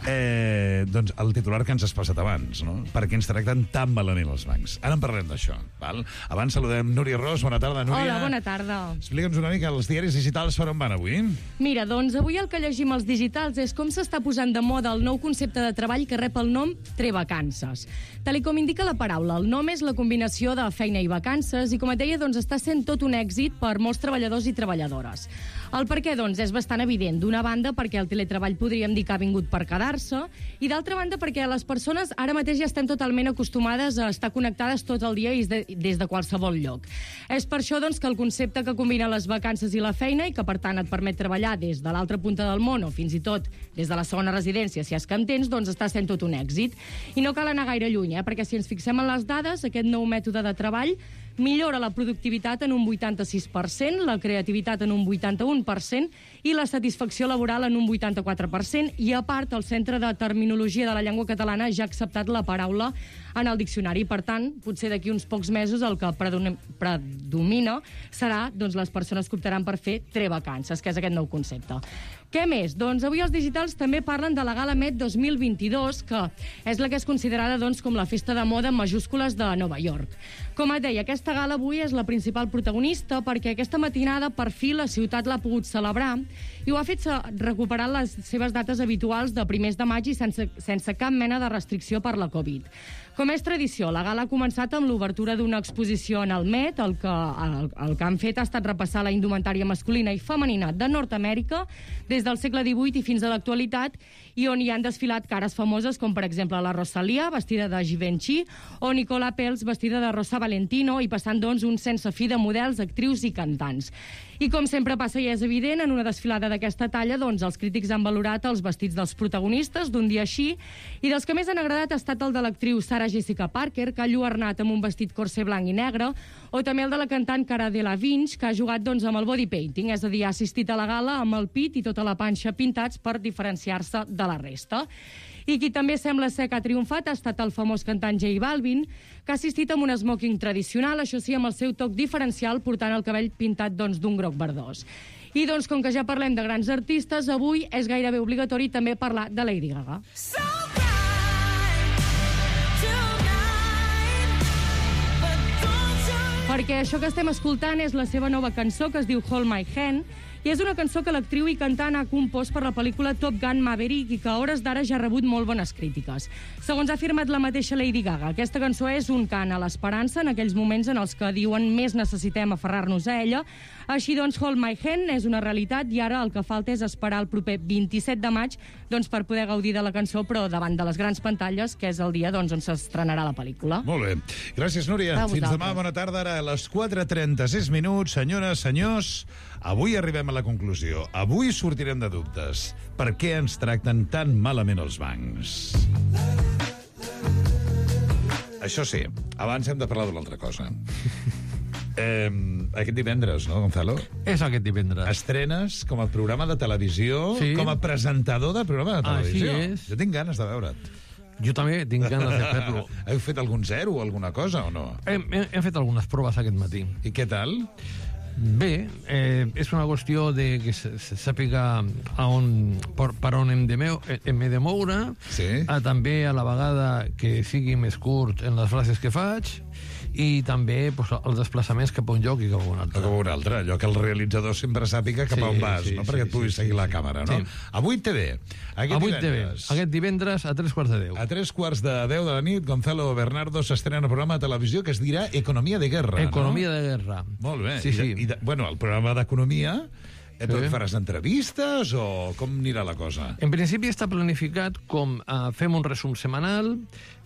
Eh, doncs el titular que ens has passat abans, no? Per què ens tracten tan malament els bancs. Ara en parlem d'això, val? Abans saludem Núria Ros. Bona tarda, Núria. Hola, bona tarda. Explica'ns una mica, els diaris digitals per on van avui? Mira, doncs avui el que llegim als digitals és com s'està posant de moda el nou concepte de treball que rep el nom Trevacances. Tal com indica la paraula, el nom és la combinació de feina i vacances i, com et deia, doncs està sent tot un èxit per molts treballadors i treballadores. El per què, doncs, és bastant evident. D'una banda, perquè el teletreball podríem dir que ha vingut per quedar-se, i d'altra banda, perquè les persones ara mateix ja estem totalment acostumades a estar connectades tot el dia i de, des de qualsevol lloc. És per això, doncs, que el concepte que combina les vacances i la feina i que, per tant, et permet treballar des de l'altra punta del món o fins i tot des de la segona residència, si és que en tens, doncs està sent tot un èxit. I no cal anar gaire lluny, eh? Perquè si ens fixem en les dades, aquest nou mètode de treball millora la productivitat en un vuitanta-sis per cent, la creativitat en un vuitanta-un per cent i la satisfacció laboral en un vuitanta-quatre per cent, i a part el Centre de Terminologia de la Llengua Catalana ja ha acceptat la paraula en el diccionari. Per tant, potser d'aquí uns pocs mesos el que predomina serà, doncs, les persones que optaran per fer trevacances, que és aquest nou concepte. Què més? Doncs avui els digitals també parlen de la Gala Met dos mil vint-i-dos, que és la que és considerada, doncs, com la festa de moda en majúscules de Nova York. Com et deia, aquesta gala avui és la principal protagonista perquè aquesta matinada per fi la ciutat l'ha pogut celebrar i ho ha fet recuperant les seves dates habituals de primers de maig i sense, sense cap mena de restricció per la Covid. Com és tradició, la gala ha començat amb l'obertura d'una exposició en el Met. El que, el, el que han fet ha estat repassar la indumentària masculina i femenina de Nord-Amèrica des del segle divuit i fins a l'actualitat, i on hi han desfilat cares famoses com, per exemple, la Rosalia, vestida de Givenchy, o Nicola Peltz, vestida de Rosa Valentino, i passant, doncs, un sense fi de models, actrius i cantants. I com sempre passa i és evident, en una desfilada d'aquesta talla, doncs, els crítics han valorat els vestits dels protagonistes d'un dia així, i dels que més han agradat ha estat el de l'actriu Sarah Jessica Parker, que ha lluernat amb un vestit corser blanc i negre, o també el de la cantant Cara Delevingne, que ha jugat, doncs, amb el body painting, és a dir, ha assistit a la gala amb el pit i tota la panxa pintats per diferenciar-se de la resta. I qui també sembla ser que ha triomfat ha estat el famós cantant J Balvin, que ha assistit amb un smoking tradicional, això sí, amb el seu toc diferencial, portant el cabell pintat, doncs, d'un groc verdós. I, doncs, com que ja parlem de grans artistes, avui és gairebé obligatori també parlar de Lady Gaga. So perquè això que estem escoltant és la seva nova cançó, que es diu Hold My Hand, i és una cançó que l'actriu i cantant ha compost per la pel·lícula Top Gun Maverick i que a hores d'ara ja ha rebut molt bones crítiques. Segons ha afirmat la mateixa Lady Gaga, aquesta cançó és un cant a l'esperança en aquells moments en els que diuen més necessitem aferrar-nos a ella. Així doncs, Hold My Hand és una realitat i ara el que falta és esperar el proper vint-i-set de maig, doncs, per poder gaudir de la cançó, però davant de les grans pantalles, que és el dia, doncs, on s'estrenarà la pel·lícula. Molt bé. Gràcies, Núria. Fins demà, bona tarda. Ara a les quatre trenta-sis minuts. Senyores, senyors, avui arribem a la conclusió. Avui sortirem de dubtes. Per què ens tracten tan malament els bancs? Això sí, abans hem de parlar d'una altra cosa. Eh, aquest divendres, no, Gonzalo? És aquest divendres. Estrenes com a programa de televisió, sí. Com a presentador del programa de televisió. Així és. Jo tinc ganes de veure't. Jo també tinc ganes de fer-lo. Heu fet algun zero o alguna cosa o no? Hem, hem fet algunes proves aquest matí. I què tal? Bé, eh, és una qüestió de que se, se sàpiga a on, per, per on hem de, meu, hem de moure, sí. a, també a la vegada que sigui més curt en les frases que faig, i també pues, els desplaçaments cap a un lloc i cap a un altre. Cap a un altre, allò que el realitzador sempre sàpiga cap sí, a on vas, sí, no? Sí, Perquè et puguis sí, seguir sí, la sí. càmera, no? Sí. A vuit T V. Aquest a vuit T V. divendres. Aquest divendres a tres quarts de deu. A tres quarts de deu de la nit, Gonzalo Bernardo s'estrena un programa de televisió que es dirà Economia de Guerra, Economia no? de Guerra. Molt bé. Sí, I, sí. I de, bueno, el programa d'Economia, eh, Sí. faràs entrevistes o com anirà la cosa? En principi està planificat com uh, fem un resum setmanal,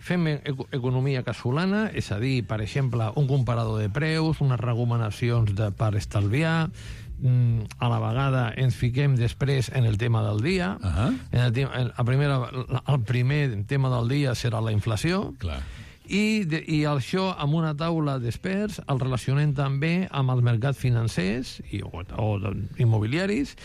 fem ec economia casolana, és a dir, per exemple, un comparador de preus, unes recomanacions de, per estalviar, mm, a la vegada ens fiquem després en el tema del dia. Uh -huh. en el, en la primera, el primer tema del dia serà la inflació. Clar. I, de, i això amb una taula d'experts el relacionem també amb els mercats financers i, o, o immobiliaris,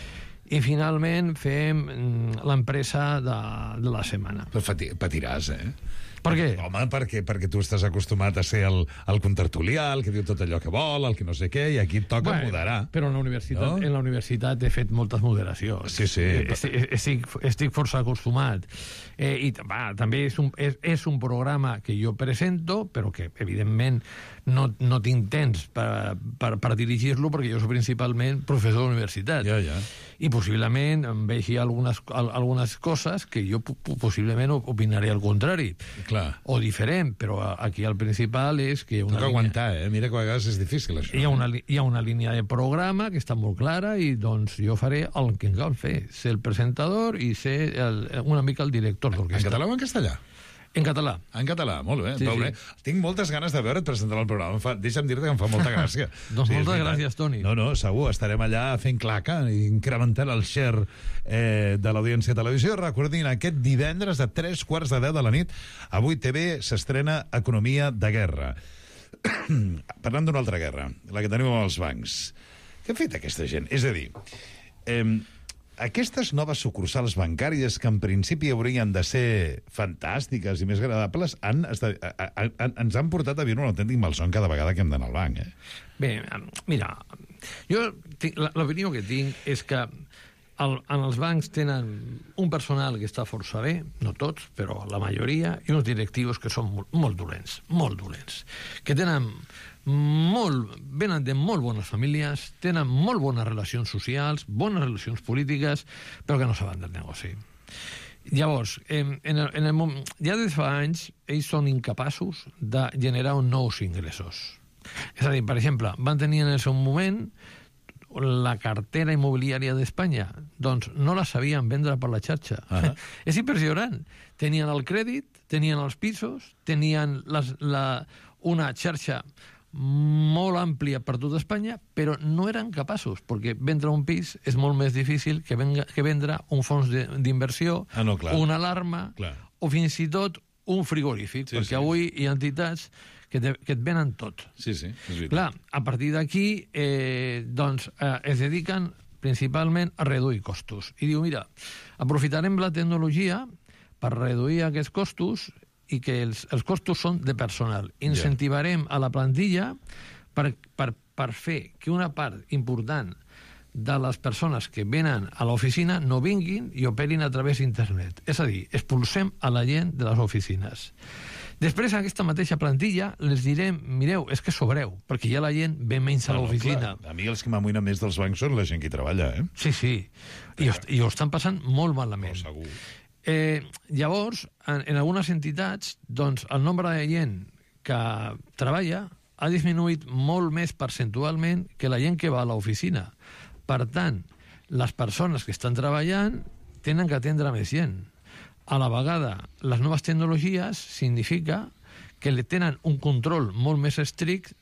i finalment fem mm, l'empresa de, de la setmana. Però patiràs, eh? Per què? Home, perquè, perquè tu estàs acostumat a ser el, el contertulià, el que diu tot allò que vol, el que no sé què, i aquí et toca bueno, moderar. Però en la universitat, no? en la universitat he fet moltes moderacions. Sí, sí. Estic, estic, estic força acostumat. Eh, I va, també és un, és, és un programa que jo presento, però que, evidentment, no, no tinc temps per, per, per dirigir-lo, perquè jo soc principalment professor de la universitat. Ja, ja. i possiblement em vegi algunes, algunes coses que jo possiblement opinaré al contrari. Clar. O diferent, però aquí el principal és que... Una Toca línia... aguantar, eh? Mira que a vegades és difícil, això. Hi ha, una, hi ha una línia de programa que està molt clara i doncs jo faré el que em cal fer, ser el presentador i ser el, una mica el director d'orquestra. En català o en castellà? En català. En català, molt bé. Sí, sí. Tinc moltes ganes de veure't presentar el programa. Fa, deixa'm dir-te que em fa molta gràcia. doncs sí, moltes gràcies, Toni. No, no, segur, estarem allà fent claca, incrementant el share eh, de l'audiència de televisió. Recordin, aquest divendres a tres quarts de deu de la nit, a vuit T V s'estrena Economia de Guerra. Parlant d'una altra guerra, la que tenim amb els bancs. Què ha fet aquesta gent? És a dir... Eh, aquestes noves sucursals bancàries que en principi haurien de ser fantàstiques i més agradables han, han, ens han portat a viure un autèntic malson cada vegada que hem d'anar al banc. Eh? Bé, mira, jo l'opinió que tinc és que el, en els bancs tenen un personal que està força bé, no tots, però la majoria, i uns directius que són molt, molt dolents, molt dolents, que tenen... molt, venen de molt bones famílies, tenen molt bones relacions socials, bones relacions polítiques, però que no saben del negoci. Llavors, en, en el, en el moment, ja des de fa anys, ells són incapaços de generar nous ingressos. És a dir, per exemple, van tenir en el seu moment la cartera immobiliària d'Espanya, doncs no la sabien vendre per la xarxa. Uh-huh. És impressionant. Tenien el crèdit, tenien els pisos, tenien les, la, una xarxa molt àmplia per tot Espanya, però no eren capaços, perquè vendre un pis és molt més difícil que, venga, que vendre un fons d'inversió, ah, no, una alarma, clar, o fins i tot un frigorífic, sí, perquè sí. Avui hi ha entitats que, te, que et venen tot. Sí, sí, és veritat. Clar, a partir d'aquí eh, doncs, eh, es dediquen principalment a reduir costos. I diu, mira, aprofitarem la tecnologia per reduir aquests costos i que els, els costos són de personal. Incentivarem a la plantilla per, per, per fer que una part important de les persones que venen a l'oficina no vinguin i operin a través d'internet. És a dir, expulsem a la gent de les oficines. Després, a aquesta mateixa plantilla, les direm, mireu, és que sobreu, perquè ja la gent ve menys a l'oficina. No, a mi els que m'amoïnen més dels bancs són la gent que hi treballa, eh? Sí, sí. I ho, i ho estan passant molt malament. No, segur. Eh, llavors, en, en algunes entitats, doncs, el nombre de gent que treballa ha disminuït molt més percentualment que la gent que va a l'oficina. Per tant, les persones que estan treballant tenen que atendre més gent. A la vegada, les noves tecnologies significa que li tenen un control molt més estricte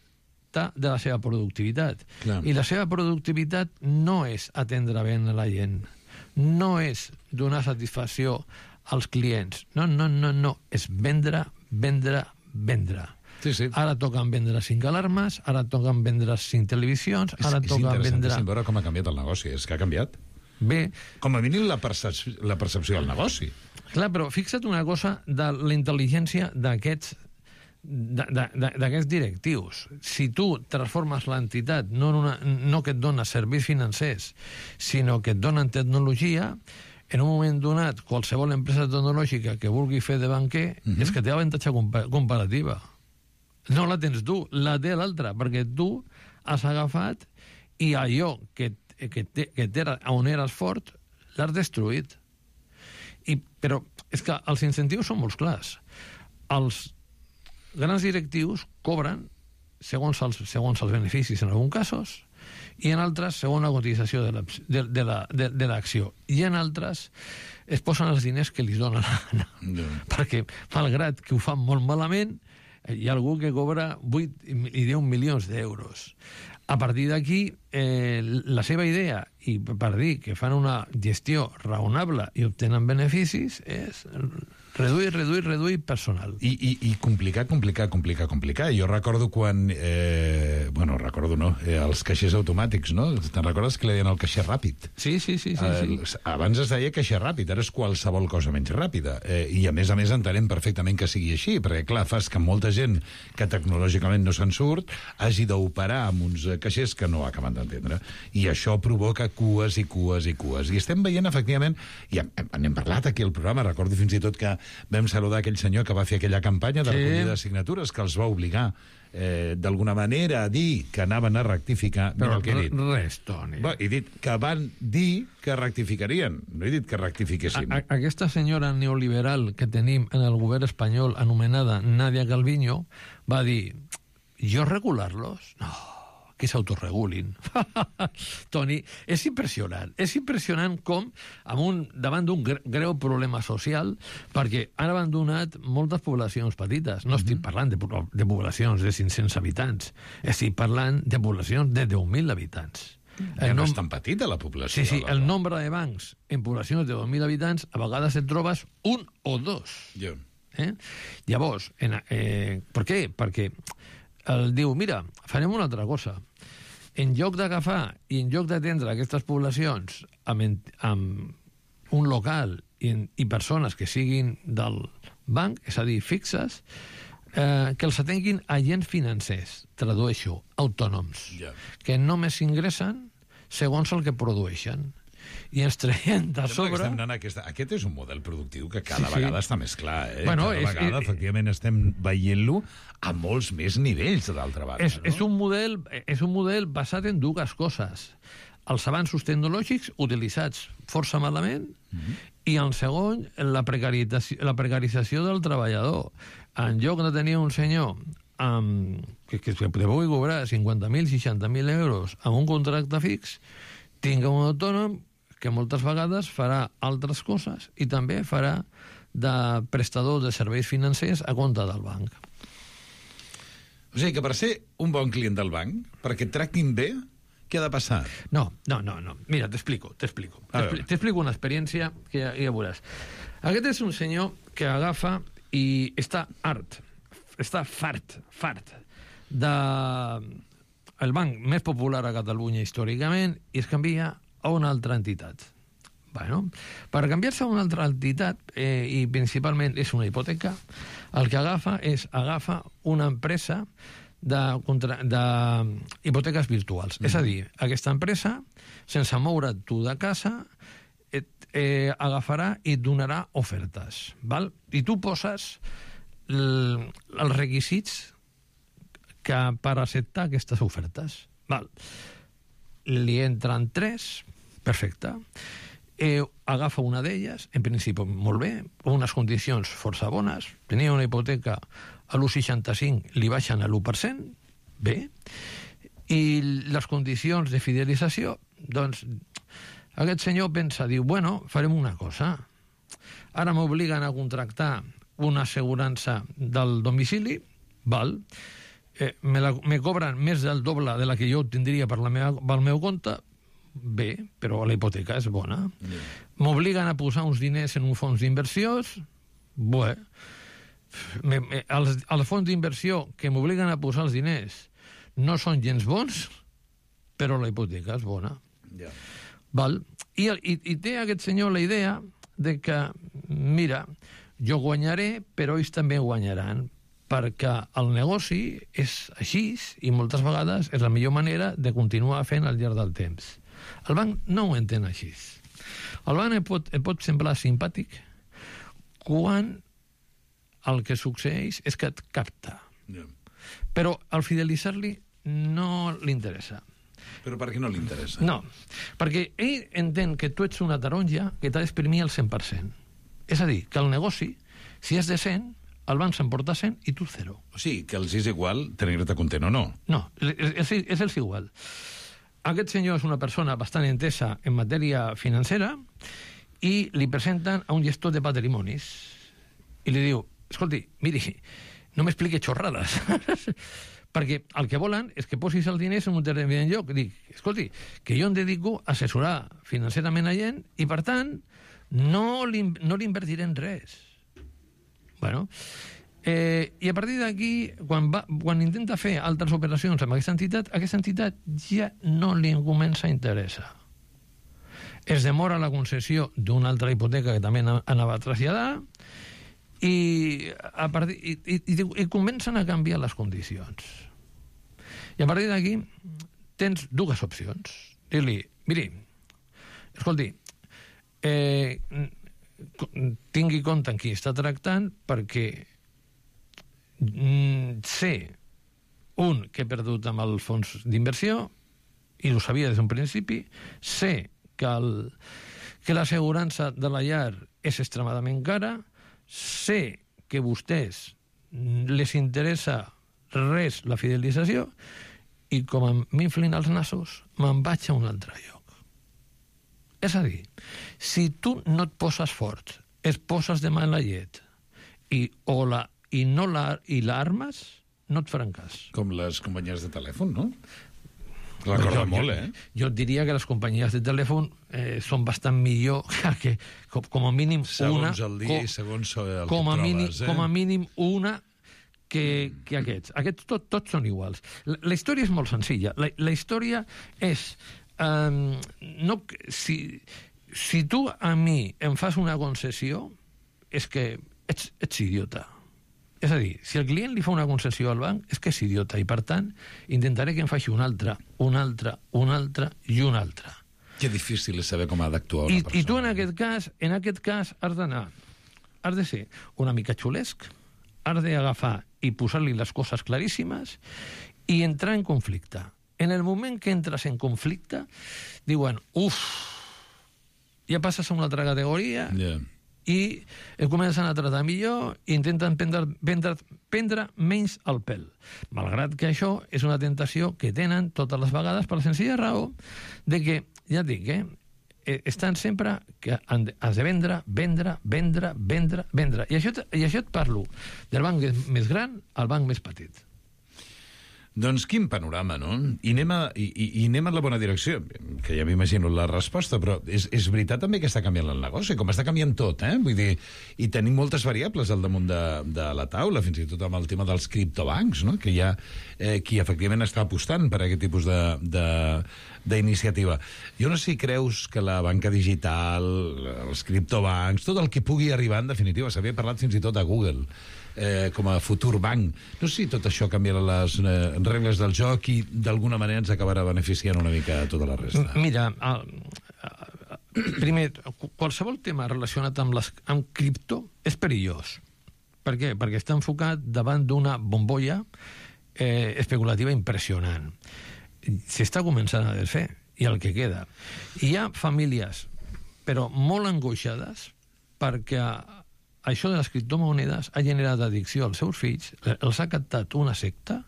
de la seva productivitat. Clar. I la seva productivitat no és atendre bé a la gent, no és donar satisfacció als clients. No, no, no, no. És vendre, vendre, vendre. Sí, sí. Ara toquen vendre cinc alarmes, ara toquen vendre cinc televisions, ara és, toquen és vendre... És veure com ha canviat el negoci. És que ha canviat. Bé. Com a mínim la, percep la percepció del negoci. Clar, però fixa't una cosa de la intel·ligència d'aquests d'aquests directius. Si tu transformes l'entitat no, una, no que et dona serveis financers, sinó que et donen tecnologia, en un moment donat, qualsevol empresa tecnològica que vulgui fer de banquer, uh-huh. és que té avantatge comparativa. No la tens tu, la té l'altra, perquè tu has agafat i allò que, que, te, que te, on eres fort l'has destruït. I, però és que els incentius són molt clars. Els grans directius cobren segons els, segons els beneficis en alguns casos i en altres segons la cotització de l'acció. De, de la, de, de l'acció. I en altres es posen els diners que li donen la gana. No. Perquè, malgrat que ho fan molt malament, hi ha algú que cobra vuit i deu milions d'euros. A partir d'aquí, eh, la seva idea, i per dir que fan una gestió raonable i obtenen beneficis, és reduir, reduir, reduir personal. I, i, i complicar, complicar, complicar, complicar. Jo recordo quan... Eh, bueno, recordo no, eh, els caixers automàtics, no? Te'n recordes que li deien el caixer ràpid? Sí, sí, sí. sí, eh, sí. Abans es deia caixer ràpid, ara és qualsevol cosa menys ràpida. Eh, I a més a més entenem perfectament que sigui així, perquè clar, fas que molta gent que tecnològicament no se'n surt hagi d'operar amb uns caixers que no acaben d'entendre. I això provoca cues i cues i cues. I estem veient, efectivament, i n'hem parlat aquí al programa, recordo fins i tot que vam saludar aquell senyor que va fer aquella campanya de recollida de signatures que els va obligar Eh, d'alguna manera a dir que anaven a rectificar. Però el que he dit. res, Toni. Bé, he dit que van dir que rectificarien, no he dit que rectifiquessin. A, a, aquesta senyora neoliberal que tenim en el govern espanyol anomenada Nadia Calviño va dir, jo regular-los? No, que s'autoregulin. Toni, és impressionant. És impressionant com, amb un, davant d'un greu problema social, perquè han abandonat moltes poblacions petites. No estic parlant de, de poblacions de cinc-cents habitants. Estic parlant de poblacions de deu mil habitants. Ja no és tan petita la població. Sí, sí, el nombre de bancs en poblacions de deu mil habitants a vegades et trobes un o dos. Ja. Eh? Llavors, en, eh, per què? Perquè el diu, mira, farem una altra cosa. En lloc d'agafar i en lloc d'atendre aquestes poblacions amb, amb un local i, i persones que siguin del banc, és a dir, fixes, eh, que els atenguin agents financers, tradueixo, autònoms, yeah. que només ingressen segons el que produeixen. I ens traiem de sobre... Aquesta... Aquest és un model productiu que cada sí, sí. vegada està més clar. Eh? Bueno, cada és, vegada, és, efectivament, estem veient-lo a molts més nivells, d'altra banda. És, no? és, un model, és un model basat en dues coses. Els avanços tecnològics utilitzats força malament mm-hmm. i, en segon, la precarització, la precarització del treballador. En lloc de tenir un senyor amb, que, que pugui cobrar cinquanta mil, seixanta mil euros amb un contracte fix, tinga un autònom que moltes vegades farà altres coses i també farà de prestador de serveis financers a compte del banc. O sigui que per ser un bon client del banc, perquè et tractin bé, què ha de passar? No, no, no. no. Mira, t'explico, t'explico. T'explico una experiència que ja, ja veuràs. Aquest és un senyor que agafa i està hart, està fart, fart, de el banc més popular a Catalunya històricament i es canvia a una altra entitat. Bueno, per canviar-se a una altra entitat, eh, i principalment és una hipoteca, el que agafa és agafa una empresa de, contra, de hipoteques virtuals. Mm. És a dir, aquesta empresa, sense moure tu de casa, et, eh, agafarà i et donarà ofertes. Val? I tu poses l, els requisits que per acceptar aquestes ofertes. Val. Li entren tres, perfecte. Eh, agafa una d'elles, en principi molt bé, unes condicions força bones, tenia una hipoteca a l'u coma seixanta-cinc, li baixen a l'u per cent, bé, i les condicions de fidelització, doncs, aquest senyor pensa, diu, bueno, farem una cosa, ara m'obliguen a contractar una assegurança del domicili, val, eh, me, la, me cobren més del doble de la que jo tindria per la meva, pel meu compte, bé, però la hipoteca és bona. Yeah. M'obliguen a posar uns diners en un fons d'inversions, bé, me, me, els, els fons d'inversió que m'obliguen a posar els diners no són gens bons, però la hipoteca és bona. Yeah. Val? I, i, I té aquest senyor la idea de que, mira, jo guanyaré, però ells també guanyaran, perquè el negoci és així i moltes vegades és la millor manera de continuar fent al llarg del temps. El banc no ho entén així. El banc et pot, et pot semblar simpàtic quan el que succeeix és que et capta. Yeah. Però al fidelitzar-li no li interessa. Però per què no li interessa? No, perquè ell entén que tu ets una taronja que t'ha d'exprimir al cent per cent. És a dir, que el negoci, si és de cent, el banc s'emporta cent i tu zero. O sigui, que els és igual tenir-te content o no. No, és, és els igual. Aquest senyor és una persona bastant entesa en matèria financera i li presenten a un gestor de patrimonis i li diu, escolti, miri, no m'expliqui xorrades, perquè el que volen és que posis el diners en un determinat lloc. Dic, escolti, que jo em dedico a assessorar financerament a gent i, per tant, no li, no li invertiré en res. Bueno, eh, i a partir d'aquí, quan, va, quan intenta fer altres operacions amb aquesta entitat, aquesta entitat ja no li comença a interessar. Es demora la concessió d'una altra hipoteca que també anava a traslladar i, a partir, i, i, i comencen a canviar les condicions. I a partir d'aquí tens dues opcions. Dir-li, miri, escolti, eh, tingui compte en qui està tractant perquè mm, sé, un, que he perdut amb el fons d'inversió i ho sabia des d'un principi, sé que, el, que l'assegurança de la llar és extremadament cara, sé que a vostès les interessa res la fidelització i com m'inflin els nassos me'n vaig a un altre lloc. És a dir, si tu no et poses fort, es poses de mà en la llet i, o la, i no la, i l'armes, no et faran cas. Com les companyies de telèfon, no? Recorda jo, molt, jo, eh? Jo diria que les companyies de telèfon eh, són bastant millor que, com, com a mínim segons una... Segons el dia com, i segons el com que a trobes, mínim, eh? Com a mínim una que, que aquests. Aquests tot, tots són iguals. La, la història és molt senzilla. La, la història és... Um, no, si, si tu a mi em fas una concessió, és que ets, ets idiota. És a dir, si el client li fa una concessió al banc, és que és idiota, i per tant intentaré que em faci una altra, una altra, una altra i una altra. Que difícil és saber com ha d'actuar una I, persona. I tu en aquest cas, en aquest cas has d'anar, has de ser una mica xulesc, has d'agafar i posar-li les coses claríssimes i entrar en conflicte. En el moment que entres en conflicte, diuen, uf, ja passes a una altra categoria... Yeah. i comencen a tratar millor i intenten prendre, prendre, prendre menys el pèl. Malgrat que això és una tentació que tenen totes les vegades per la senzilla raó de que, ja et dic, eh, estan sempre que han de, has de vendre, vendre, vendre, vendre, vendre. I això, i això et parlo del banc més gran al banc més petit. Doncs quin panorama, no? I anem, a, i, i anem en la bona direcció, que ja m'imagino la resposta, però és, és veritat també que està canviant el negoci, com està canviant tot, eh? Vull dir, i tenim moltes variables al damunt de, de la taula, fins i tot amb el tema dels criptobancs, no? Que hi ha eh, qui efectivament està apostant per aquest tipus de, de, d'iniciativa. Jo no sé si creus que la banca digital, els criptobancs, tot el que pugui arribar, en definitiva, s'havia parlat fins i tot a Google, Eh, com a futur banc. No sé si tot això canviarà les eh, regles del joc i d'alguna manera ens acabarà beneficiant una mica a tota la resta. Mira, el, primer, qualsevol tema relacionat amb, les, amb cripto és perillós. Per què? Perquè està enfocat davant d'una bombolla eh, especulativa impressionant. S'està començant a desfer, i el que queda. Hi ha famílies, però molt angoixades, perquè això de les criptomonedes ha generat addicció als seus fills, els ha captat una secta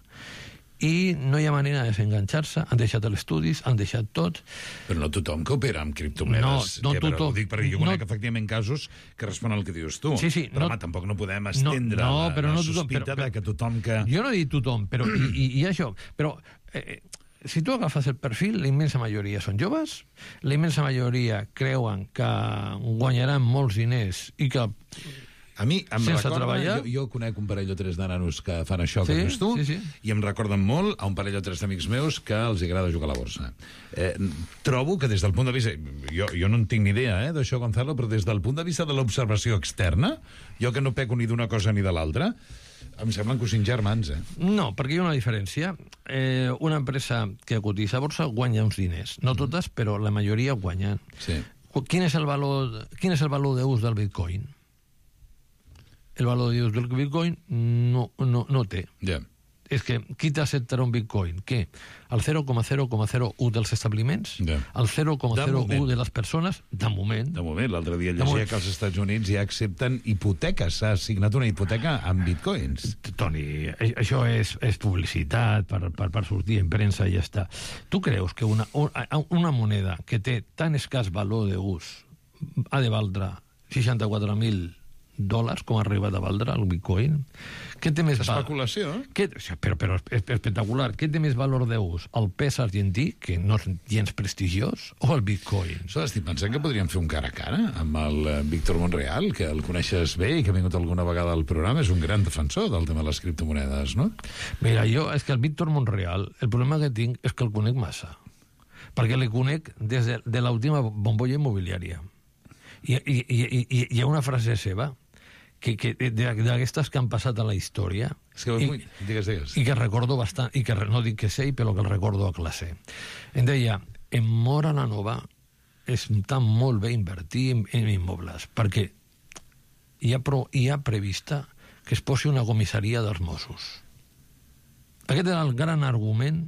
i no hi ha manera de desenganxar-se, han deixat els estudis, han deixat tot. Però no tothom que opera amb criptomonedes. No, no que, tothom. Ho dic perquè jo conec no, efectivament casos que responen al que dius tu. Sí, sí, però, no, home, tampoc no podem estendre no, no, la, però la no tothom, sospita però, de que tothom que... Jo no he dit tothom, però i, i, i això, però... Eh, si tu agafes el perfil, la immensa majoria són joves, la immensa majoria creuen que guanyaran molts diners i que... A mi em sense recorda, treballar... jo, jo conec un parell o tres de nanos que fan això sí, que fes tu, sí, sí. i em recorden molt a un parell o tres d'amics meus que els agrada jugar a la borsa. Eh, trobo que des del punt de vista... Jo, jo no en tinc ni idea, eh, d'això, Gonzalo, però des del punt de vista de l'observació externa, jo que no peco ni d'una cosa ni de l'altra, em semblen cosins germans, eh? No, perquè hi ha una diferència. Eh, una empresa que cotitza a borsa guanya uns diners. No totes, però la majoria guanyen. Sí. Quin és el valor, quin és el valor d'ús del Bitcoin? El valor d'ús del Bitcoin no, no, no té. Yeah. És que qui t'acceptarà un Bitcoin? Què? El zero coma zero coma zero u dels establiments? Yeah. El zero coma zero u De de les persones? De moment. De moment. L'altre dia llegia que als Estats Units ja accepten hipoteques. S'ha assignat una hipoteca amb bitcoins. Toni, això és, és publicitat per, per, per sortir en premsa i ja està. Tu creus que una, una moneda que té tan escàs valor d'ús ha de valdre seixanta-quatre mil dòlars, com ha arribat a valdre el Bitcoin? Què té més especulació? Què, però, però és espectacular. Què té més valor d'ús? El pes argentí, que no és gens prestigiós, o el Bitcoin? So, estic pensant que podríem fer un cara a cara amb el Víctor Monreal, que el coneixes bé i que ha vingut alguna vegada al programa. És un gran defensor del tema de les criptomonedes, no? Mira, jo, és que el Víctor Monreal, el problema que tinc és que el conec massa. Perquè li conec des de, de l'última bombolla immobiliària. I, i, i, i hi ha una frase seva que, que d'aquestes que han passat a la història. És que, I, digues, digues. I que recordo bastant, i que no dic que sé, però que el recordo a classe. Em deia, en Móra la Nova està molt bé invertir en, en immobles, perquè hi ha, pro, hi ha prevista que es posi una comissaria dels Mossos. Aquest era el gran argument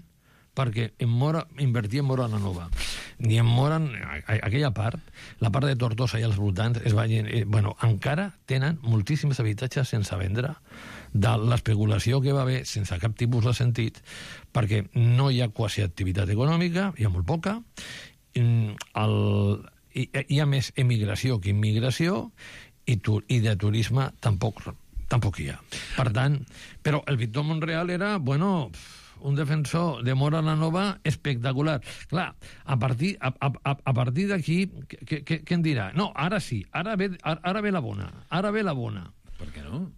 perquè en Móra, invertir en Móra la Nova. Ni en Móra, aquella part, la part de Tortosa i els voltants, es va, eh, bueno, encara tenen moltíssims habitatges sense vendre de l'especulació que va haver sense cap tipus de sentit, perquè no hi ha quasi activitat econòmica, hi ha molt poca, el, hi, hi ha més emigració que immigració, i, tu, i de turisme tampoc, tampoc hi ha. Per tant, però el Víctor Monreal era, bueno, un defensor de Móra la Nova espectacular. Clar, a partir, a, a, a partir d'aquí, què, què, què en dirà? No, ara sí, ara ve, ara ve la bona, ara ve la bona. Per què no?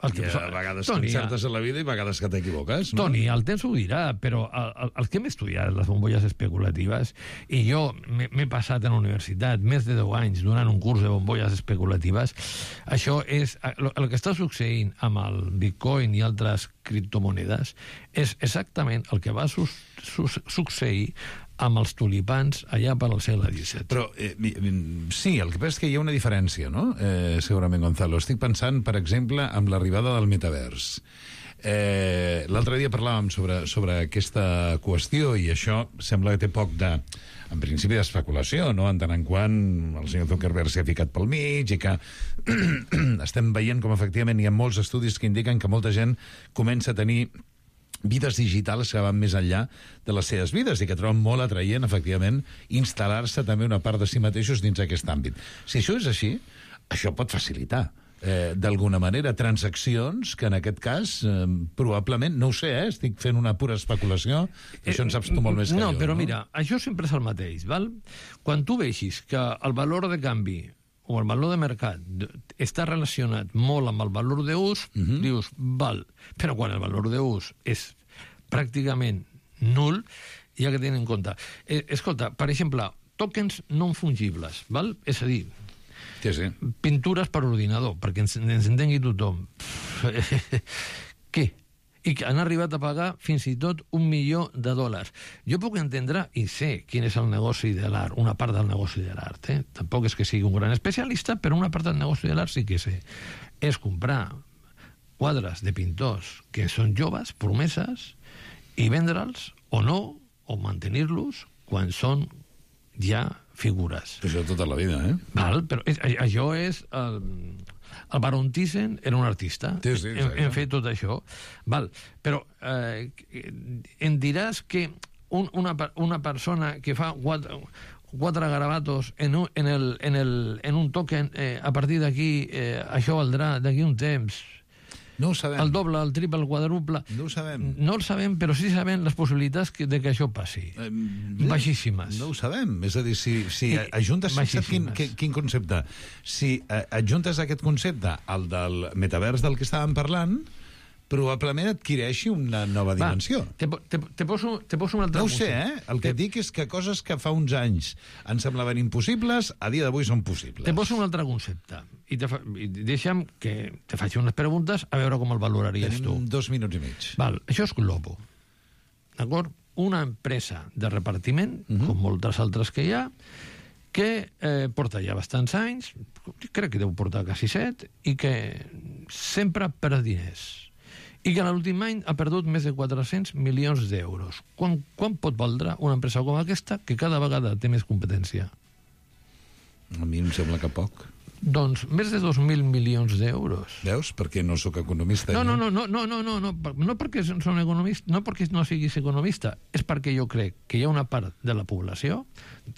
El que, a vegades Toni, concertes a la vida i a vegades que t'equivoques, no? Toni, el temps ho dirà, però el, el, el que hem estudiat, les bombolles especulatives, i jo m'he passat a la universitat més de deu anys donant un curs de bombolles especulatives, això és... El, el que està succeint amb el Bitcoin i altres criptomonedes és exactament el que va su, su, succeir amb els tulipans allà per al segle disset. Però, eh, sí, el que passa és que hi ha una diferència, no? Eh, segurament, Gonzalo. Estic pensant, per exemple, amb l'arribada del metavers. Eh, L'altre dia parlàvem sobre, sobre aquesta qüestió i això sembla que té poc de... en principi d'especulació, no? En tant en quant el senyor Zuckerberg s'ha ficat pel mig i que estem veient com efectivament hi ha molts estudis que indiquen que molta gent comença a tenir vides digitals que van més enllà de les seves vides i que troben molt atraient, efectivament, instal·lar-se també una part de si mateixos dins aquest àmbit. Si això és així, això pot facilitar eh, d'alguna manera transaccions que en aquest cas eh, probablement, no ho sé, eh, estic fent una pura especulació, eh, això en saps tu molt més que no, jo. Però no? Mira, això sempre és el mateix, val? Quan tu veixis que el valor de canvi o el valor de mercat està relacionat molt amb el valor d'ús, uh-huh. dius, val, però quan el valor d'ús és pràcticament nul, hi ha que tenir en compte. Eh, escolta, per exemple, tokens no fungibles, val? És a dir, sí, sí. pintures per ordinador, perquè ens, ens entengui tothom. Què? I que han arribat a pagar fins i tot un milió de dòlars. Jo puc entendre i sé quin és el negoci de l'art, una part del negoci de l'art. Eh? Tampoc és que sigui un gran especialista, però una part del negoci de l'art sí que sé. És comprar quadres de pintors que són joves, promeses, i vendre'ls o no, o mantenir-los quan són ja figures. Això tota la vida, eh? Val, però és, això és... El, el Baron Thyssen era un artista. Sí, sí, hem, hem fet tot això. Val, però eh, em diràs que un, una, una persona que fa quatre, quatre garabatos en un, en el, en el, en un token, eh, a partir d'aquí eh, això valdrà d'aquí un temps... No ho sabem. El doble, el triple, el quadruple... No ho sabem. No ho sabem, però sí sabem les possibilitats que, de que això passi. Eh, Baixíssimes. No ho sabem. És a dir, si, si eh, ajuntes... Quin, quin concepte? Si eh, adjuntes aquest concepte al del metavers del que estàvem parlant, probablement adquireixi una nova dimensió. Va, te, te, te, poso, te poso un altre... No ho sé, eh? El que te... dic és que coses que fa uns anys ens semblaven impossibles, a dia d'avui són possibles. Te poso un altre concepte. I, te fa... I deixa'm que te faci unes preguntes a veure com el valoraries Tenim tu. Tenim dos minuts i mig. Val, això és Globo. D'acord? Una empresa de repartiment, uh-huh. com moltes altres que hi ha, que eh, porta ja bastants anys, crec que deu portar quasi set, i que sempre perd diners. I que l'últim any ha perdut més de quatre-cents milions d'euros. Quan, quan pot valdre una empresa com aquesta que cada vegada té més competència? A mi em sembla que poc. Doncs més de dos mil milions d'euros. Veus? Perquè no sóc economista. No, no, no, no, no, no, no, no, no perquè són economista, no perquè no siguis economista, és perquè jo crec que hi ha una part de la població,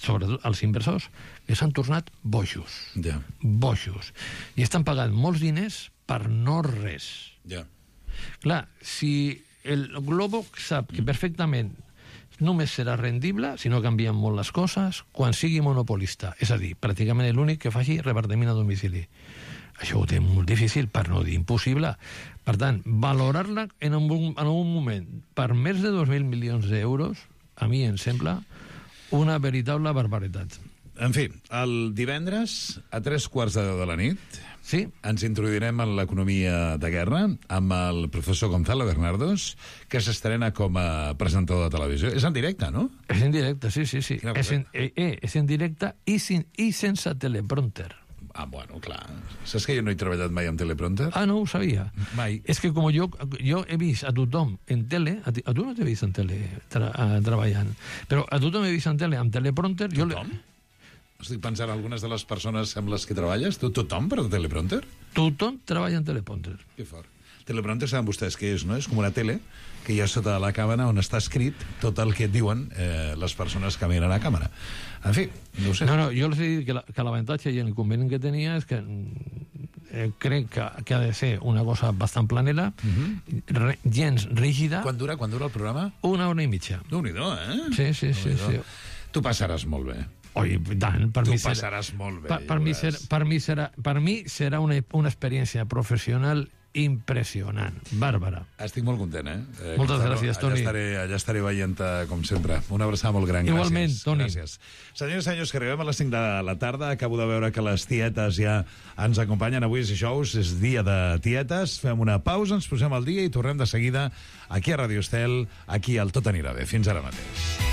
sobretot els inversors, que s'han tornat bojos. Ja. Bojos. I estan pagant molts diners per no res. Ja. Clar, si el Globo sap que perfectament només serà rendible si no canvien molt les coses quan sigui monopolista, és a dir, pràcticament l'únic que faci repartiment a domicili. Això ho té molt difícil, per no dir impossible. Per tant, valorar-la en un, en un moment per més de dos mil milions d'euros, a mi em sembla una veritable barbaritat. En fi, el divendres, a tres quarts de deu de la nit, Sí. Ens introduirem en l'economia de guerra amb el professor Gonzalo Bernardos, que s'estrena com a presentador de televisió. És en directe, no? És en directe, sí, sí, sí. És en, eh, eh, és en directe i, sin, i sense teleprompter. Ah, bueno, clar. Saps que jo no he treballat mai amb teleprompter? Ah, no ho sabia. Mai. És que com jo, jo he vist a tothom en tele, a, ti, a tu no t'he vist en tele tra, a, treballant, però a tothom he vist en tele amb teleprompter. Tothom? Jo Estic pensant algunes de les persones amb les que treballes. Tu, tothom per teleprompter? Tothom treballa en teleprompter. Que fort. Teleprompter saben vostès què és, no? És com una tele que hi ha sota la càmera on està escrit tot el que et diuen eh, les persones que miren a càmera. En fi, no ho sé. No, no, jo els he dit que, la, que l'avantatge i l'inconvenient que tenia és que eh, crec que, que ha de ser una cosa bastant planera, uh-huh. re, gens rígida. Quan dura, quan dura el programa? Una hora i mitja. Déu-n'hi-do, eh? Sí, sí, sí, sí. Tu passaràs molt bé. Oi, tant, per tu mi serà, passaràs molt bé. Per, per, mi serà, per, mi serà, per mi serà una, una experiència professional impressionant. Bàrbara. Estic molt content, eh? eh Moltes Gonzalo, gràcies, Toni. Allà estaré, allà estaré veient-te, com sempre. Una abraçada molt gran. Igualment, gràcies. Toni. Gràcies. Senyors i senyors, que arribem a les cinc de la tarda. Acabo de veure que les tietes ja ens acompanyen. Avui és dijous, és dia de tietes. Fem una pausa, ens posem al dia i tornem de seguida aquí a Radio Estel, aquí al Tot anirà bé. Fins ara mateix.